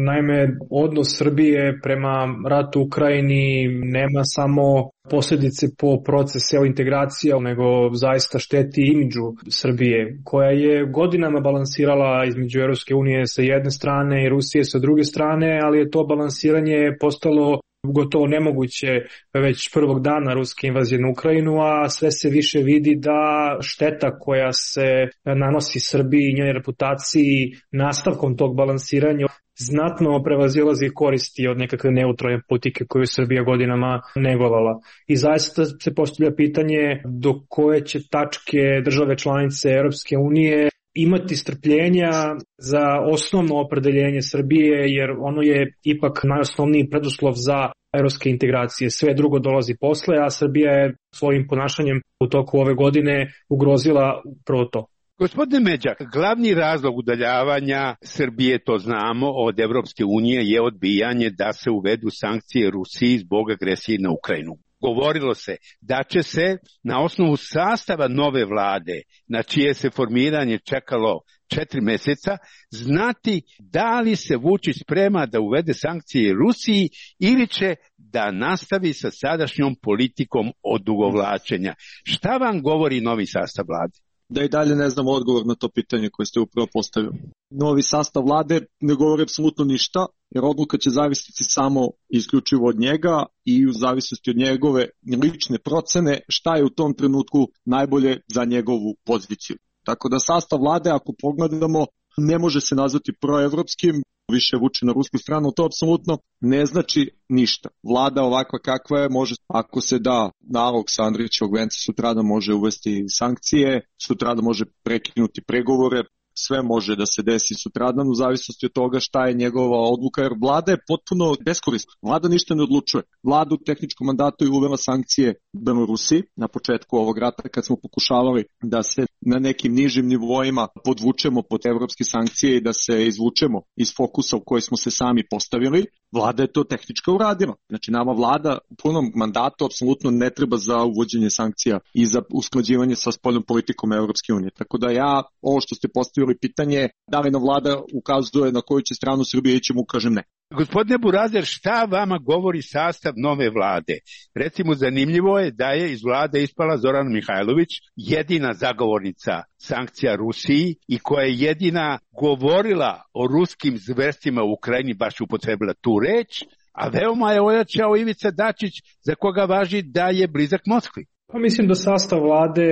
Naime, odnos Srbije prema ratu u Ukrajini nema samo posljedice po proces integracija, nego zaista šteti imidžu Srbije, koja je godinama balansirala između Europske unije sa jedne strane i Rusije sa druge strane, ali je to balansiranje postalo gotovo nemoguće već prvog dana ruske invazije na Ukrajinu, a sve se više vidi da šteta koja se nanosi Srbiji i njenoj reputaciji nastavkom tog balansiranja znatno prevazilazi koristi od nekakve neutralne politike koju Srbija godinama negovala. I zaista se postavlja pitanje do koje će tačke države članice Europske unije imati strpljenja za osnovno opredeljenje Srbije, jer ono je ipak najosnovniji preduslov za evropske integracije. Sve drugo dolazi posle, a Srbija je svojim ponašanjem u toku ove godine ugrozila upravo to. Gospodine Međak, glavni razlog udaljavanja Srbije, to znamo, od Evropske unije je odbijanje da se uvedu sankcije Rusiji zbog agresije na Ukrajinu. Govorilo se da će se na osnovu sastava nove vlade, na čije se formiranje čekalo četiri meseca, znati da li se Vučić sprema da uvede sankcije Rusiji ili će da nastavi sa sadašnjom politikom odugovlačenja. Šta vam govori novi sastav vlade? Da i dalje ne znamo odgovor na to pitanje koje ste upravo postavili. Novi sastav vlade ne govori apsolutno ništa, jer odluka će zavisiti samo isključivo od njega i u zavisnosti od njegove lične procene šta je u tom trenutku najbolje za njegovu poziciju. Tako da sastav vlade, ako pogledamo, ne može se nazvati proevropskim, više vuče na rusku stranu, to apsolutno ne znači ništa. Vlada ovakva kakva je, može, ako se da nalog sa Andrićevog venca, sutradan može uvesti sankcije, sutradan može prekinuti pregovore, sve može da se desi sutradan u zavisnosti od toga šta je njegova odluka, jer vlada je potpuno beskorisna. Vlada ništa ne odlučuje. Vlada u tehničkom mandatu je uvela sankcije Belorusiji na početku ovog rata kad smo pokušavali da se na nekim nižim nivoima podvučemo pod evropske sankcije i da se izvučemo iz fokusa u koji smo se sami postavili. Vlada je to tehnički uradila. Znači nama vlada u punom mandatu apsolutno ne treba za uvođenje sankcija i za usklađivanje sa spoljnom politikom Evropske unije. Tako da ja, ovo što ste postavili pitanje, da li nam vlada ukazuje na koju će stranu Srbije ići, mu kažem ne. Gospodine Burazer, šta vama govori sastav nove vlade? Recimo, zanimljivo je da je iz vlade ispala Zorana Mihajlović, jedina zagovornica sankcija Rusiji i koja je jedina govorila o ruskim zverstvima u Ukrajini, baš upotrebila tu reč, a veoma je ojačao Ivica Dačić, za koga važi da je blizak Moskvi. Pa mislim da sastav vlade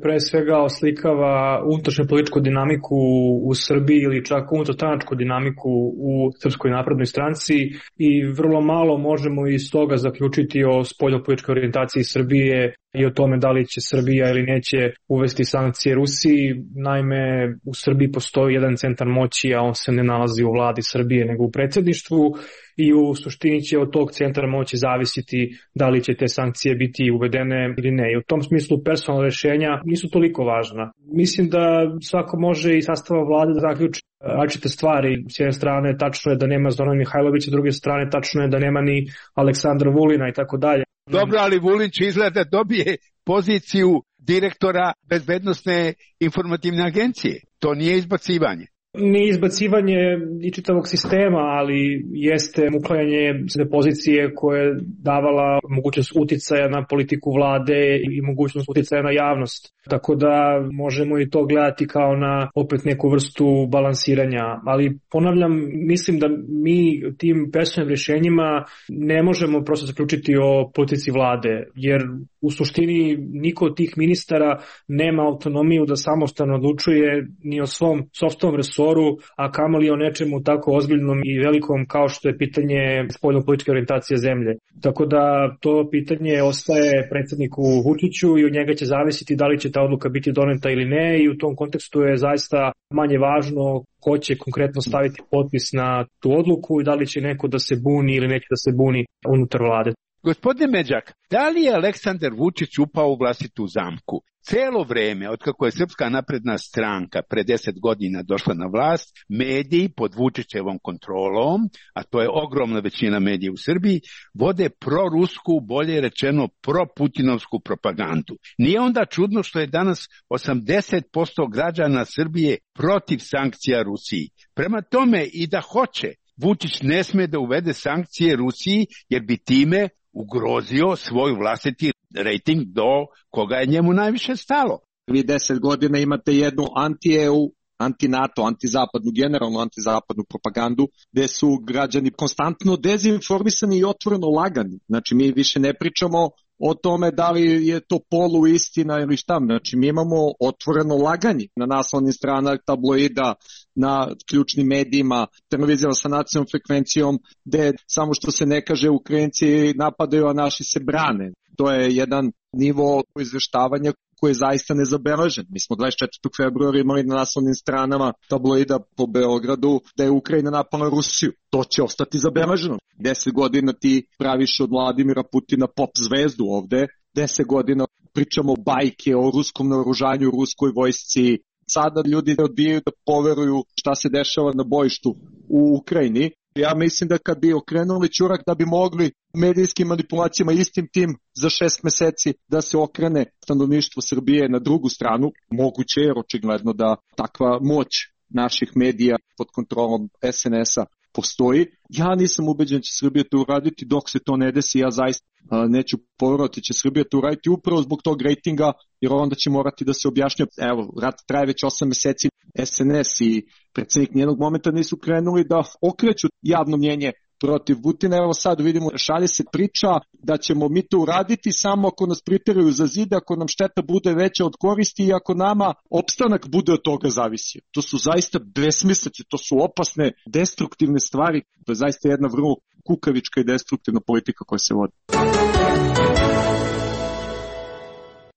pre svega oslikava unutrašnju političku dinamiku u Srbiji ili čak unutarstranačku dinamiku u Srpskoj naprednoj stranci i vrlo malo možemo iz toga zaključiti o spoljnopolitičkoj orijentaciji Srbije i o tome da li će Srbija ili neće uvesti sankcije Rusiji. Naime, u Srbiji postoji jedan centar moći, a on se ne nalazi u vladi Srbije nego u predsjedništvu i u suštini će od tog centra moći zavisiti da li će te sankcije biti uvedene ili ne. I u tom smislu personalna rešenja nisu toliko važna. Mislim da svako može i sastava vlade da zaključi različite stvari. S jedne strane tačno je da nema Zorana Mihajlovića, s druge strane tačno je da nema ni Aleksandra Vulina i tako dalje. Dobro, ali Vulin će izgleda dobije poziciju direktora bezbednosne informativne agencije. To nije izbacivanje. Nije izbacivanje i čitavog sistema, ali jeste uklanjanje pozicije koje je davala mogućnost uticaja na politiku vlade i mogućnost uticaja na javnost. Tako da možemo i to gledati kao na opet neku vrstu balansiranja. Ali ponavljam, mislim da mi tim personalnim rješenjima ne možemo prosto zaključiti o politici vlade, jer u suštini niko od tih ministara nema autonomiju da samostalno odlučuje ni o svom sopstvenom resoru, a kamoli o nečemu tako ozbiljnom i velikom kao što je pitanje spoljnopolitičke orijentacije zemlje. Tako da to pitanje ostaje predsjedniku Vučiću i od njega će zavisiti da li će ta odluka biti doneta ili ne i u tom kontekstu je zaista manje važno ko će konkretno staviti potpis na tu odluku i da li će neko da se buni ili neće da se buni unutar vlade. Gospodine Međak, da li je Aleksandar Vučić upao u vlastitu zamku? Celo vreme, otkako je Srpska napredna stranka pre deset godina došla na vlast, mediji pod Vučićevom kontrolom, a to je ogromna većina medija u Srbiji, vode prorusku, bolje rečeno proputinovsku propagandu. Nije onda čudno što je danas osamdeset posto građana Srbije protiv sankcija Rusiji. Prema tome i da hoće, Vučić ne sme da uvede sankcije Rusiji jer bi time ugrozio svoj vlastiti rejting do koga je njemu najviše stalo. Vi deset godina imate jednu anti-E U, anti-NATO, antizapadnu, generalnu antizapadnu propagandu, gde su građani konstantno dezinformisani i otvoreno lagani. Znači mi više ne pričamo o tome da li je to poluistina ili šta. Znači mi imamo otvoreno laganje na naslovnim stranama tabloida, na ključnim medijima, televizijama sa nacionalnom frekvencijom, gde samo što se ne kaže Ukrajinci napadaju, a naši se brane. To je jedan nivo izveštavanja koji je zaista nezabeležen. Mi smo dvadeset četvrtog februara imali na naslovnim stranama tabloida po Beogradu da je Ukrajina napala Rusiju. To će ostati zabeleženo. Deset godina ti praviš od Vladimira Putina pop zvezdu ovde, deset godina pričamo bajke o ruskom naoružanju, ruskoj vojsci. Sada ljudi odbijaju da poveruju šta se dešava na bojištu u Ukrajini. Ja mislim da kad bi okrenuli ćurak da bi mogli medijskim manipulacijama istim tim za šest meseci da se okrene stanovništvo Srbije na drugu stranu, moguće jer očigledno da takva moć naših medija pod kontrolom es en es-a postoji. Ja nisam ubeđen da će Srbija to uraditi, dok se to ne desi, ja zaista neću poverovati će Srbija to uraditi upravo zbog tog rejtinga, jer onda će morati da se objašnja. Evo, rat traje već osam meseci, es en es i predsjednik nijednog momenta nisu krenuli da okreću javno mnjenje protiv Putina. Evo sad vidimo, šalje se priča da ćemo mi to uraditi samo ako nas priteraju za zid, ako nam šteta bude veća od koristi i ako nama opstanak bude od toga zavisio. To su zaista besmislice, to su opasne, destruktivne stvari. To je zaista jedna vrlo kukavička i destruktivna politika koja se vodi.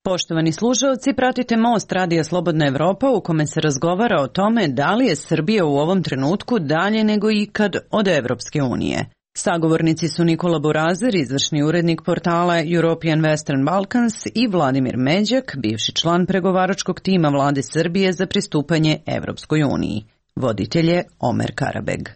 Poštovani slušalci, pratite Most Radija Slobodna Evropa u kome se razgovara o tome da li je Srbija u ovom trenutku dalje nego ikad od Evropske unije. Sagovornici su Nikola Burazer, izvršni urednik portala European Western Balkans, i Vladimir Međak, bivši član pregovaračkog tima vlade Srbije za pristupanje Evropskoj uniji. Voditelj je Omer Karabeg.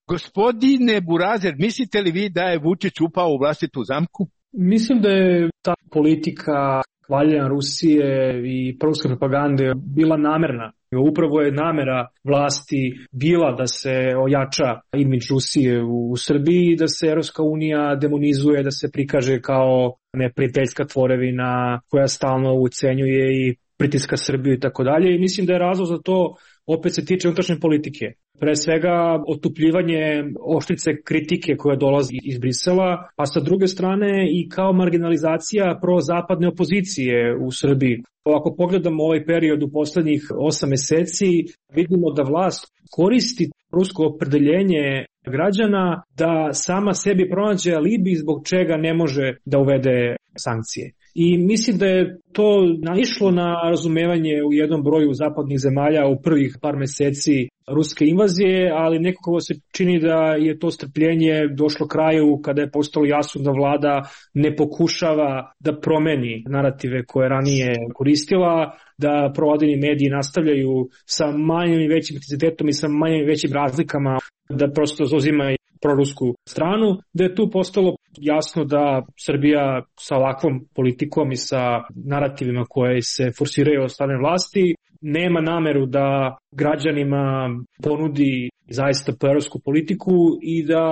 Gospodine Burazer, mislite li vi da je Vučić upao u vlastitu zamku? Mislim da je ta politika hvaljenja Rusije i proruske propagande bila namerna. Upravo je namera vlasti bila da se ojača imidž Rusije u Srbiji i da se Evropska unija demonizuje, da se prikaže kao neprijateljska tvorevina koja stalno ucenjuje i pritiska Srbiju i tako dalje. I mislim da je razlog za to opet se tiče unutrašnje politike. Pre svega otupljivanje oštrice kritike koja dolazi iz Brisela, a sa druge strane i kao marginalizacija prozapadne opozicije u Srbiji. Ako pogledamo ovaj period u poslednjih osam meseci, vidimo da vlast koristi rusko opredeljenje građana da sama sebi pronađe alibi zbog čega ne može da uvede sankcije. I mislim da je to naišlo na razumevanje u jednom broju zapadnih zemalja u prvih par meseci ruske invazije, ali nekako se čini da je to strpljenje došlo kraju kada je postalo jasno da vlada ne pokušava da promeni narative koje ranije koristila, da provladini mediji nastavljaju sa manjim i većim intenzitetom i sa manjim i većim razlikama da prosto zauzima prorusku stranu, da je tu postalo jasno da Srbija sa ovakvom politikom i sa narativima koje se forsiraju od strane vlasti nema nameru da građanima ponudi zaista proevropsku politiku i da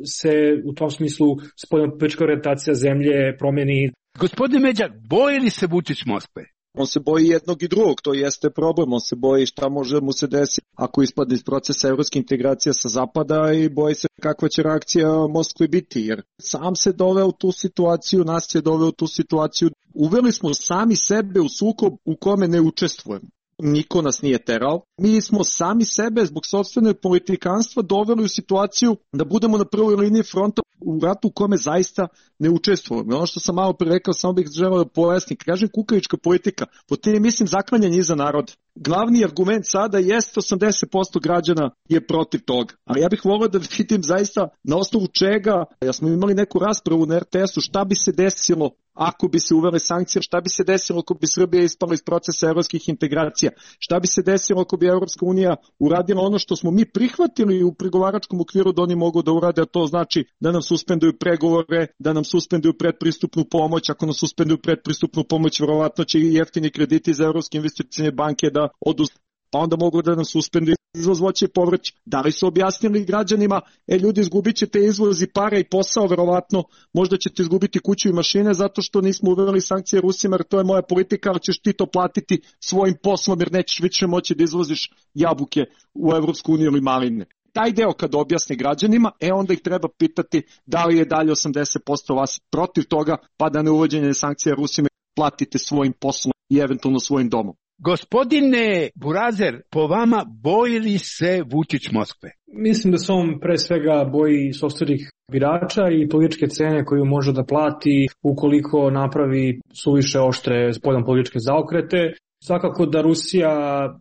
se u tom smislu spoljnopolitička orijentacija zemlje promeni. Gospodine Međak, boji li se Vučić Moskve? On se boji jednog i drugog, to jeste problem, on se boji šta može mu se desiti ako ispadne iz procesa evropske integracije sa zapada i boji se kakva će reakcija Moskve biti, jer sam se doveo u tu situaciju, nas je doveo u tu situaciju, uveli smo sami sebe u sukob u kome ne učestvujemo. Niko nas nije terao. Mi smo sami sebe zbog sopstvenog politikanstva doveli u situaciju da budemo na prvoj liniji fronta u ratu u kome zaista ne učestvujemo. Ono što sam malo pre rekao, samo bih želeo da pojasnim. Kažem kukavička politika, po tim mislim zaklanjanje iza naroda. Glavni argument sada jeste osamdeset posto građana je protiv toga. Ali ja bih volio da vidim zaista na osnovu čega, ja smo imali neku raspravu na er te esu, šta bi se desilo ako bi se uvele sankcije, šta bi se desilo ako bi Srbija ispala iz procesa evropskih integracija, šta bi se desilo ako bi Evropska unija uradila ono što smo mi prihvatili u pregovaračkom okviru da oni mogu da urade, a to znači da nam suspenduju pregovore, da nam suspenduju predpristupnu pomoć, ako nam suspenduju predpristupnu pomoć, verovatno će i jeftini krediti za Evropske investicione banke da odu, pa onda mogu da nam suspenduju izvoz voća i povrća. Da li su objasnili građanima, e ljudi, izgubit ćete izvoz i para i posao, verovatno, možda ćete izgubiti kuću i mašine zato što nismo uveli sankcije Rusima, jer to je moja politika, ali ćeš ti to platiti svojim poslom, jer nećeš više moći da izvoziš jabuke u Evropsku uniju ili maline. Taj deo kad objasne građanima, e onda ih treba pitati da li je dalje osamdeset posto vas protiv toga, pa da ne uvođenje sankcija Rusima platite svojim poslom i eventualno svojim domom. Gospodine Burazer, po vama boji li se Vučić Moskve? Mislim da se on pre svega boji sopstvenih birača i političke cene koju može da plati ukoliko napravi suviše oštre spoljnopolitičke zaokrete. Svakako da Rusija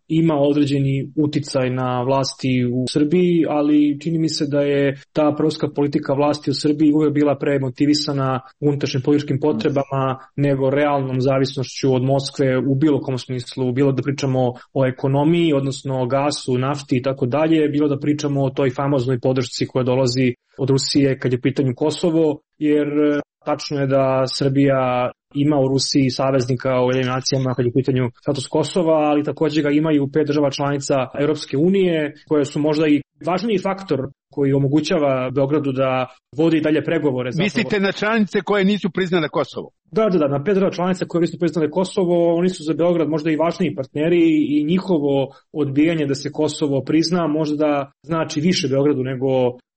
ima određeni uticaj na vlasti u Srbiji, ali čini mi se da je ta proruska politika vlasti u Srbiji uvek bila pre motivisana unutrašnjim političkim potrebama nego realnom zavisnošću od Moskve u bilo kom smislu, bilo da pričamo o ekonomiji, odnosno o gasu, nafti i tako dalje, bilo da pričamo o toj famoznoj podršci koja dolazi od Rusije kad je pitanju Kosovo, jer tačno je da Srbija ima u Rusiji saveznika u Ujedinjenim nacijama kad je u pitanju status Kosova, ali također ga imaju pet država članica Europske unije, koje su možda i važniji faktor koji omogućava Beogradu da vodi dalje pregovore. Mislite na članice koje nisu priznale Kosovo? Da, da, da, na pet država članica koje nisu priznale Kosovo, oni su za Beograd možda i važniji partneri i njihovo odbijanje da se Kosovo prizna možda znači više Beogradu nego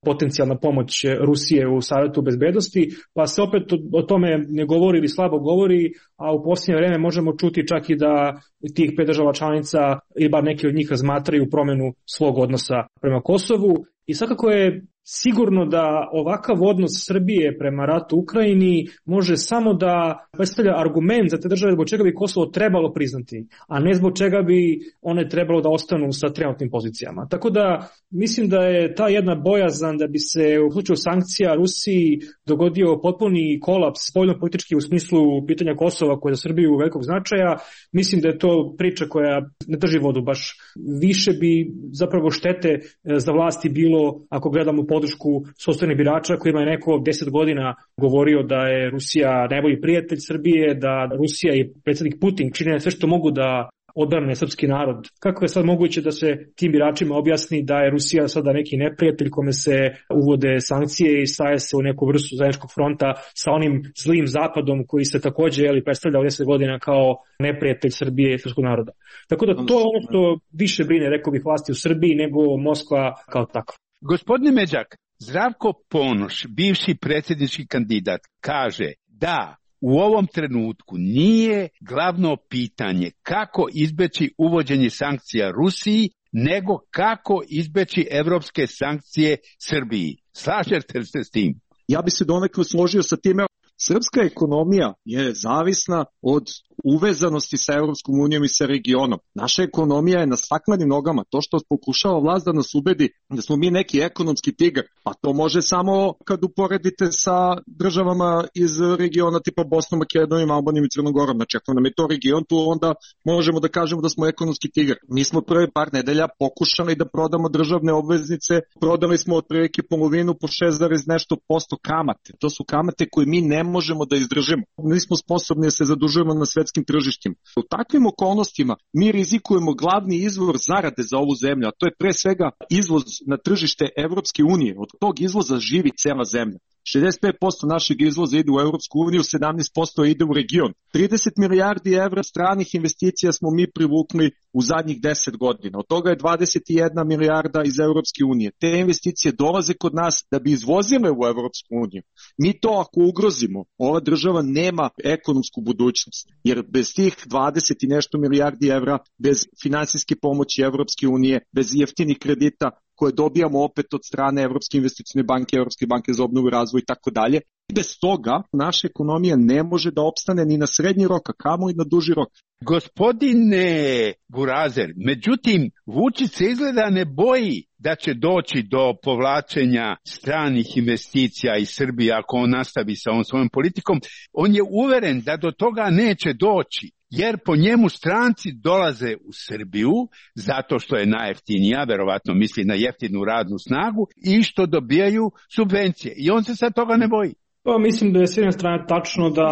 potencijalna pomoć Rusije u Savetu bezbednosti, pa se opet o tome ne govori ili slabo govori, a u posljednje vreme možemo čuti čak i da tih pet država članica ili bar neki od njih razmatraju promjenu svog odnosa prema Kosovu. I svakako je sigurno da ovakav odnos Srbije prema ratu u Ukrajini može samo da predstavlja argument za te države zbog čega bi Kosovo trebalo priznati, a ne zbog čega bi one trebalo da ostanu sa trenutnim pozicijama. Tako da mislim da je ta jedna bojazan da bi se u slučaju sankcija Rusiji dogodio potpuni kolaps spoljnopolitički u smislu pitanja Kosova koje je za Srbiju velikog značaja, mislim da je to priča koja ne drži vodu baš. Više bi zapravo štete za vlasti bilo ako gledamo podršku sopstvenih birača kojima je neko deset godina govorio da je Rusija najbolji prijatelj Srbije, da Rusija i predsjednik Putin čine sve što mogu da odbrane srpski narod. Kako je sad moguće da se tim biračima objasni da je Rusija sada neki neprijatelj kome se uvode sankcije i staje se u neku vrstu zajedničkog fronta sa onim zlim zapadom koji se također jeli, predstavlja deset godina kao neprijatelj Srbije i srpskog naroda. Tako da to je ono što više brine, rekao bih, vlasti u Srbiji nego Moskva kao takva. Gospodine Međak, Zdravko Ponoš, bivši predsjednički kandidat, kaže da u ovom trenutku nije glavno pitanje kako izbeći uvođenje sankcija Rusiji, nego kako izbeći evropske sankcije Srbiji. Slažete li se s tim? Ja bi se donekle složio sa time. Srpska ekonomija je zavisna od uvezanosti sa Evropskom unijom i sa regionom. Naša ekonomija je na staklenim nogama. To što pokušava vlast da nas ubedi da smo mi neki ekonomski tigar, pa to može samo kad uporedite sa državama iz regiona tipa Bosnom, Makedonijom, Albanijom i Crnogorom. Znači, ako nam je to region, tu onda možemo da kažemo da smo ekonomski tigar. Mi smo prve par nedelja pokušali da prodamo državne obveznice, prodali smo otprilike polovinu po šest zarez nešto posto kamate. To su kamate koje mi ne možemo da izdržimo. Nismo sposobni da se zadužujemo na svetskim tržištima. U takvim okolnostima mi rizikujemo glavni izvor zarade za ovu zemlju, a to je pre svega izvoz na tržište Evropske unije. Od tog izvoza živi cela zemlja. šezdeset pet posto našeg izvoza ide u Evropsku uniju, sedamnaest posto ide u region. trideset milijardi evra stranih investicija smo mi privukli u zadnjih deset godina. Od toga je dvadeset jedna milijarda iz Evropske unije. Te investicije dolaze kod nas da bi izvozile u Evropsku uniju. Mi to ako ugrozimo, ova država nema ekonomsku budućnost. Jer bez tih dvadeset i nešto milijardi evra, bez finansijske pomoći Evropske unije, bez jeftinih kredita koje dobijamo opet od strane Evropske investicione banke, Evropske banke za obnovu i razvoj i tako dalje. Bez toga naša ekonomija ne može da opstane ni na srednji rok, a kamo i na duži rok. Gospodine Burazer, međutim, Vučić se izgleda ne boji da će doći do povlačenja stranih investicija iz Srbije ako on nastavi sa ovom svojom politikom. On je uveren da do toga neće doći, jer po njemu stranci dolaze u Srbiju zato što je najjeftinija, verovatno misli na jeftinu radnu snagu, i što dobijaju subvencije. I on se sad toga ne boji. Pa mislim da je s jedne strane tačno da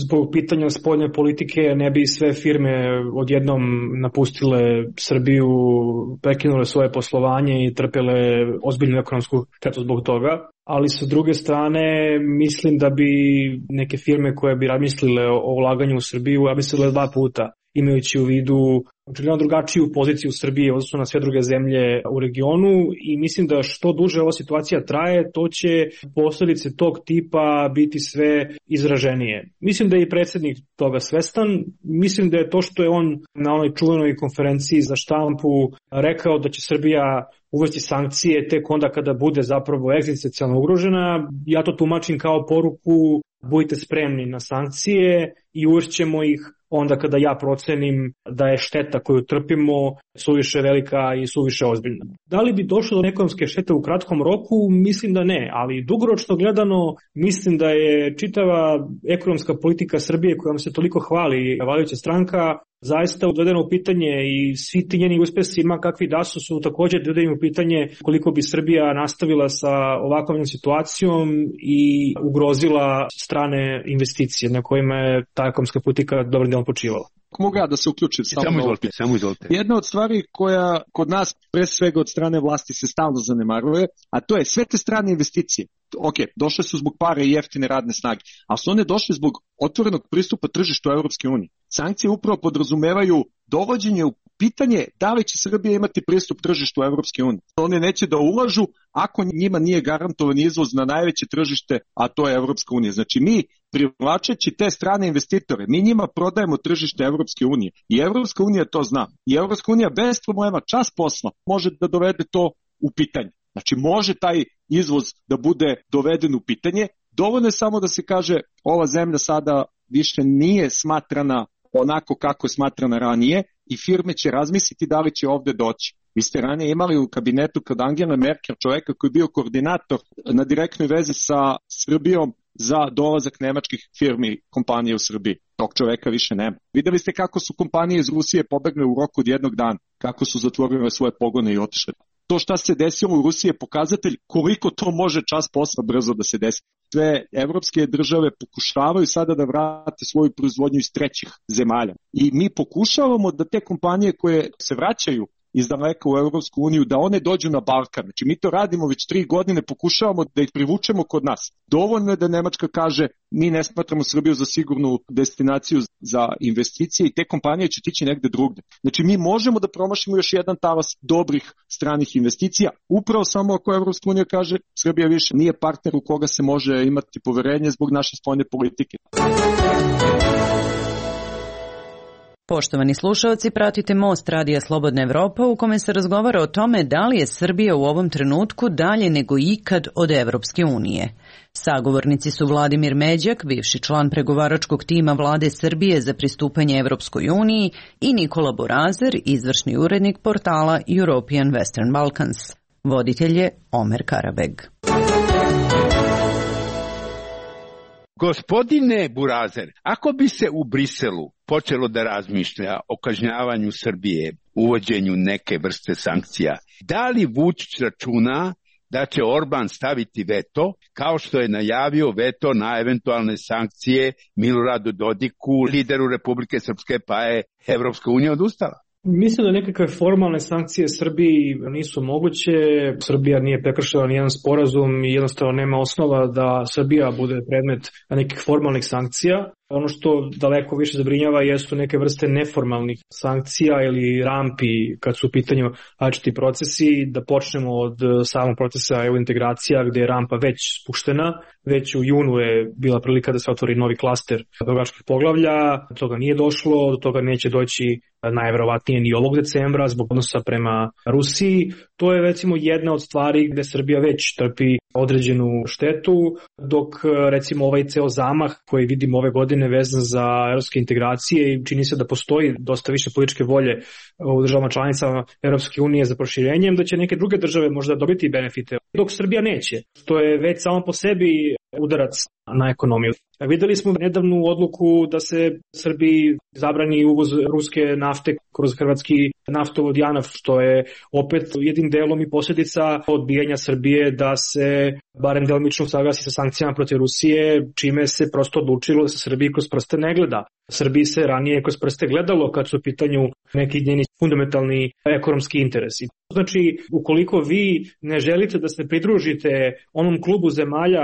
zbog pitanja spoljne politike ne bi sve firme odjednom napustile Srbiju, prekinule svoje poslovanje i trpele ozbiljnu ekonomsku štetu zbog toga. Ali sa druge strane mislim da bi neke firme koje bi razmislile o ulaganju u Srbiju razmislile dva puta. imajući u vidu očigledno drugačiju poziciju Srbije odnosno na sve druge zemlje u regionu i mislim da što duže ova situacija traje, to će posledice tog tipa biti sve izraženije. Mislim da je i predsjednik toga svestan, mislim da je to što je on na onoj čuvenoj konferenciji za štampu rekao da će Srbija uvesti sankcije tek onda kada bude zapravo egzistencijalno ugrožena, ja to tumačim kao poruku budite spremni na sankcije i uvešćemo ih onda kada ja procenim da je šteta koju trpimo suviše velika i suviše ozbiljna. Da li bi došlo do ekonomske štete u kratkom roku? Mislim da ne, ali dugoročno gledano mislim da je čitava ekonomska politika Srbije kojom se toliko hvali vladajuća stranka zaista dovedeno u pitanje i svi ti njeni uspesi ma kakvi da su su također dovedeni u pitanje koliko bi Srbija nastavila sa ovakvom situacijom i ugrozila strane investicije na kojima je ta ekonomska politika dobrim delom počivala. Mogu ja da se uključim samo, samo izvolite, samo izvolite. Jedna od stvari koja kod nas pre svega od strane vlasti se stalno zanemaruje, a to je sve te strane investicije. Ok, došle su zbog pare i jeftine radne snage, ali su one došle zbog otvorenog pristupa tržištu Evropske unije. Sankcije upravo podrazumevaju dovođenje u pitanje da li će Srbija imati pristup tržištu Evropske unije. One neće da ulažu ako njima nije garantovan izvoz na najveće tržište, a to je Evropska unija. Znači mi privlačeći te strane investitore, mi njima prodajemo tržište Evropske unije i Evropska unija to zna. I Evropska unija bez problema čas posla može da dovede to u pitanje. Znači može taj izvoz da bude doveden u pitanje, dovoljno je samo da se kaže ova zemlja sada više nije smatrana onako kako je smatrana ranije i firme će razmisliti da li će ovde doći. Vi ste ranije imali u kabinetu kod Angela Merkel čoveka koji je bio koordinator na direktnoj vezi sa Srbijom za dolazak nemačkih firmi kompanije u Srbiji. Tog čoveka više nema. Videli ste kako su kompanije iz Rusije pobegle u roku od jednog dana, kako su zatvorile svoje pogone i otišle. To šta se desilo u Rusiji je pokazatelj koliko to može čas posla brzo da se desi. Sve evropske države pokušavaju sada da vrate svoju proizvodnju iz trećih zemalja. I mi pokušavamo da te kompanije koje se vraćaju iz daleka u Evropsku uniju, da one dođu na Balkan. Znači mi to radimo već tri godine, pokušavamo da ih privučemo kod nas. Dovoljno je da Nemačka kaže mi ne smatramo Srbiju za sigurnu destinaciju za investicije i te kompanije će tići negde drugde. Znači mi možemo da promašimo još jedan talas dobrih stranih investicija, upravo samo ako Evropska unija kaže Srbija više nije partner u koga se može imati poverenje zbog naše spoljne politike. Poštovani slušalci, pratite Most Radija Slobodna Evropa u kome se razgovara o tome da li je Srbija u ovom trenutku dalje nego ikad od Evropske unije. Sagovornici su Vladimir Međak, bivši član pregovaračkog tima Vlade Srbije za pristupanje Evropskoj uniji i Nikola Borazer, izvršni urednik portala European Western Balkans. Voditelj je Omer Karabeg. Gospodine Burazer, ako bi se u Briselu počelo da razmišlja o kažnjavanju Srbije, uvođenju neke vrste sankcija, da li Vučić računa da će Orban staviti veto, kao što je najavio veto na eventualne sankcije Miloradu Dodiku, lideru Republike Srpske, pa je Evropska unija odustala? Mislim da nekakve formalne sankcije Srbiji nisu moguće. Srbija nije prekršila nijedan sporazum i jednostavno nema osnova da Srbija bude predmet nekih formalnih sankcija. Ono što daleko više zabrinjava jesu neke vrste neformalnih sankcija ili rampi kad su u pitanju različiti procesi. Da počnemo od samog procesa E U integracija gdje je rampa već spuštena. Već u junu je bila prilika da se otvori novi klaster pregovaračkih poglavlja. Do toga nije došlo, do toga neće doći najverovatnije ni ovog decembra zbog odnosa prema Rusiji. To je recimo jedna od stvari gde Srbija već trpi određenu štetu, dok recimo ovaj ceo zamah koji vidimo ove godine vezan za evropske integracije i čini se da postoji dosta više političke volje u državama članicama Evropske unije za proširenjem, da će neke druge države možda dobiti benefite, dok Srbija neće, što je već samo po sebi udarac na ekonomiju. Videli smo nedavnu odluku da se Srbiji zabrani uvoz ruske nafte kroz hrvatski naftovod JANAF, što je opet jednim delom i posljedica odbijanja Srbije da se barem delimično saglasi sa sankcijama protiv Rusije, čime se prosto odlučilo da se Srbiji kroz prste ne gleda. Srbiji se ranije kroz prste gledalo kad su u pitanju neki njeni fundamentalni ekonomski interesi. Znači, ukoliko vi ne želite da se pridružite onom klubu zemalja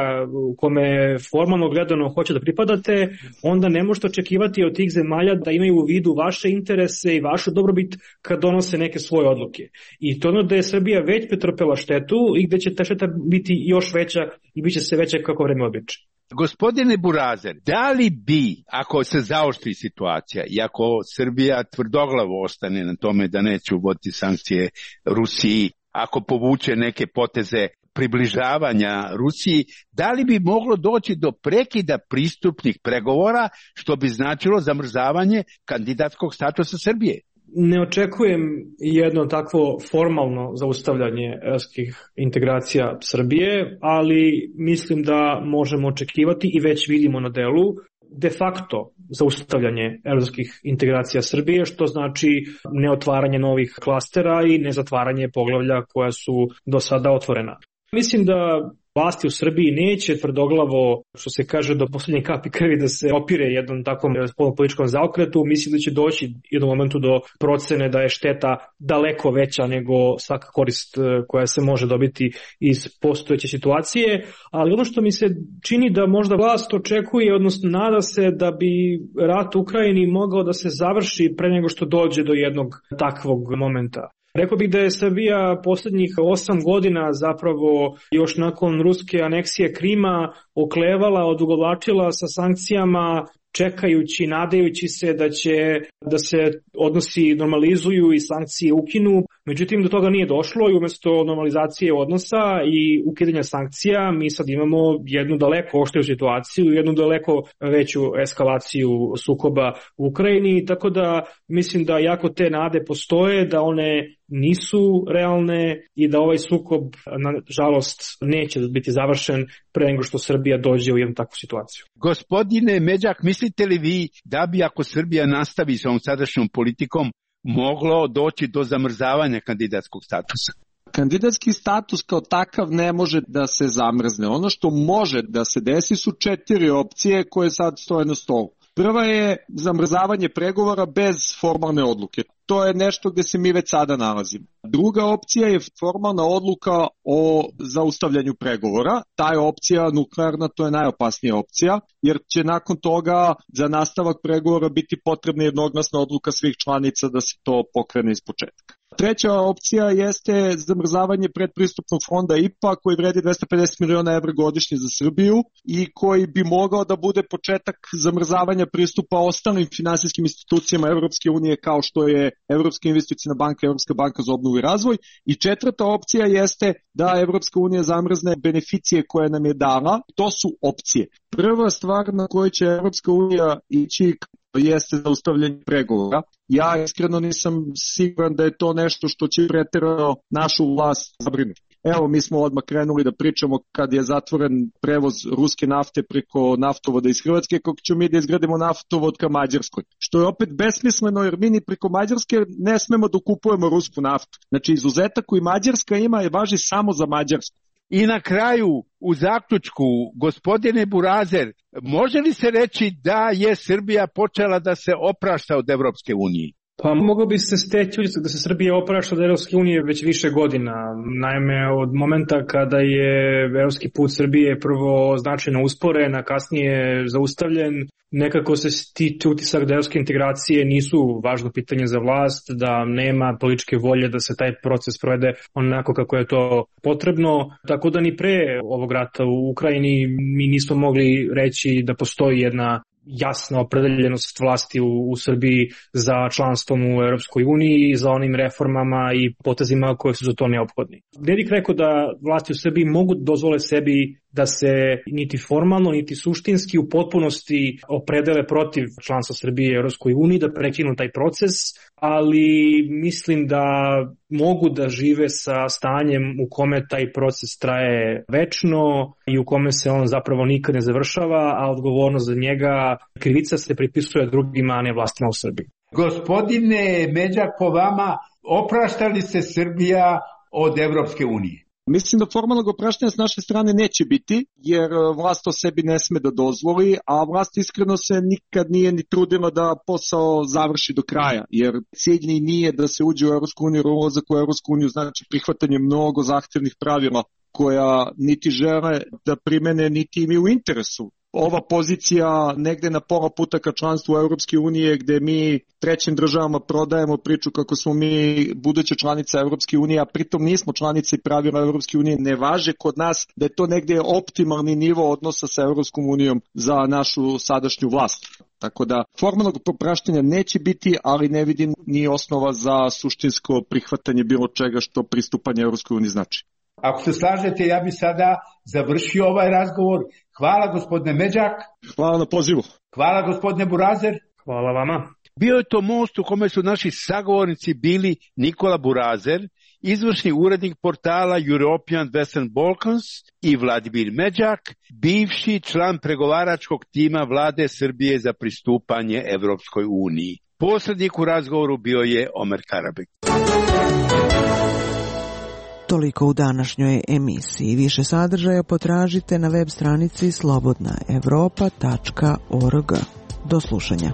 u kome formalno gledano hoće da pripadate, onda ne možete očekivati od tih zemalja da imaju u vidu vaše interese i vašu dobrobit kad donose neke svoje odluke. I to ono da je Srbija već pretrpela štetu i gde će ta šteta biti još veća i bit će se veća kako vreme običe. Gospodine Burazer, da li bi, ako se zaoštri situacija i ako Srbija tvrdoglavo ostane na tome da neće uvoditi sankcije Rusiji, ako povuče neke poteze približavanja Rusiji, da li bi moglo doći do prekida pristupnih pregovora, što bi značilo zamrzavanje kandidatskog statusa Srbije? Ne očekujem jedno takvo formalno zaustavljanje evropskih integracija Srbije, ali mislim da možemo očekivati i već vidimo na delu de facto zaustavljanje evropskih integracija Srbije, što znači neotvaranje novih klastera i nezatvaranje poglavlja koja su do sada otvorena. Mislim da vlasti u Srbiji neće tvrdoglavo, što se kaže, do poslednje kapi krvi da se opire jednom takvom političkom zaokretu. Mislim da će doći jednom momentu do procene da je šteta daleko veća nego svaka korist koja se može dobiti iz postojeće situacije, ali ono što mi se čini da možda vlast očekuje, odnosno nada se da bi rat u Ukrajini mogao da se završi pre nego što dođe do jednog takvog momenta. Rekao bih da je Srbija poslednjih osam godina zapravo još nakon ruske aneksije Krima oklevala, odugovlačila sa sankcijama, čekajući, nadajući se da će da se odnosi normalizuju i sankcije ukinu. Međutim, do toga nije došlo i umjesto normalizacije odnosa i ukidanja sankcija mi sad imamo jednu daleko oštriju situaciju, jednu daleko veću eskalaciju sukoba u Ukrajini, tako da mislim da jako te nade postoje, da one nisu realne i da ovaj sukob, nažalost, neće biti završen pre nego što Srbija dođe u jednu takvu situaciju. Gospodine Međak, mislite li vi da bi, ako Srbija nastavi sa ovom sadašnjom politikom, moglo doći do zamrzavanja kandidatskog statusa? Kandidatski status kao takav ne može da se zamrzne. Ono što može da se desi su četiri opcije koje sad stoje na stolu. Prva je zamrzavanje pregovora bez formalne odluke. To je nešto gde se mi već sada nalazimo. Druga opcija je formalna odluka o zaustavljanju pregovora. Ta je opcija nuklearna, to je najopasnija opcija, jer će nakon toga za nastavak pregovora biti potrebna jednoglasna odluka svih članica da se to pokrene iz početka. Treća opcija jeste zamrzavanje predpristupnog fonda I P A koji vredi dvesta pedeset miliona evra godišnje za Srbiju i koji bi mogao da bude početak zamrzavanja pristupa ostalim finansijskim institucijama Evropske unije kao što je Evropska investiciona banka, Evropska banka za obnovu i razvoj. I četvrta opcija jeste da Evropska unija zamrzne beneficije koje nam je dala. To su opcije. Prva stvar na kojoj će Evropska unija ići jeste zaustavljanje pregovora. Ja iskreno nisam siguran da je to nešto što će preterano našu vlast zabrinuti. Evo, mi smo odmah krenuli da pričamo kad je zatvoren prevoz ruske nafte preko naftovoda iz Hrvatske, kako ćemo mi da izgradimo naftovod ka Mađarskoj. Što je opet besmisleno jer mi ni preko Mađarske ne smemo da kupujemo rusku naftu. Znači, izuzetak koji Mađarska ima je važi samo za Mađarsku. I na kraju, u zaključku, gospodine Burazer, može li se reći da je Srbija počela da se oprašta od Evropske unije? Pa mogao bi se steći utisak da se Srbija oprašta od Evropske unije već više godina. Naime, od momenta kada je evropski put Srbije prvo značajno usporen, a kasnije zaustavljen, nekako se stiče utisak da evropske integracije nisu važno pitanje za vlast, da nema političke volje da se taj proces provede onako kako je to potrebno. Tako da ni pre ovog rata u Ukrajini mi nismo mogli reći da postoji jedna jasna opredeljenost vlasti u, u Srbiji za članstvom u Europskoj uniji i za onim reformama i potezima koje su za to neophodni. Ne bih rekao da vlasti u Srbiji mogu dozvole sebi da se niti formalno, niti suštinski u potpunosti opredele protiv članstva Srbije u Europskoj uniji, da prekinu taj proces, ali mislim da mogu da žive sa stanjem u kome taj proces traje večno i u kome se on zapravo nikad ne završava, a odgovornost za njega, krivica se pripisuje drugima, a ne vlastima u Srbiji. Gospodine Međak, po vama, oprašta li se Srbija od Evropske unije? Mislim da formalnog opraštanja s naše strane neće biti, jer vlast to sebi ne sme da dozvoli, a vlast iskreno se nikad nije ni trudila da posao završi do kraja, jer cilj nije da se uđe u Evropsku uniju, jer ulazak u Evropsku uniju znači prihvatanje mnogo zahtevnih pravila koja niti žele da primene, niti im je u interesu. Ova pozicija negde na pola puta ka članstvu Evropske unije, gde mi trećim državama prodajemo priču kako smo mi buduće članice Evropske unije, a pritom nismo članice i pravila Evropske unije ne važe kod nas, da je to negde optimalni nivo odnosa sa Evropskom unijom za našu sadašnju vlast. Tako da formalnog popraštanja neće biti, ali ne vidim ni osnova za suštinsko prihvatanje bilo čega što pristupanje Evropskoj uniji znači. Ako se slažete, ja bi sada završio ovaj razgovor. Hvala gospodine Međak. Hvala na pozivu. Hvala gospodine Burazer. Hvala vama. Bio je to most u kome su naši sagovornici bili Nikola Burazer, izvršni urednik portala European Western Balkans, i Vladimir Međak, bivši član pregovaračkog tima vlade Srbije za pristupanje Evropskoj uniji. Posrednik u razgovoru bio je Omer Karabek. Toliko u današnjoj emisiji. Više sadržaja potražite na web stranici slobodna evropa tačka org. Do slušanja.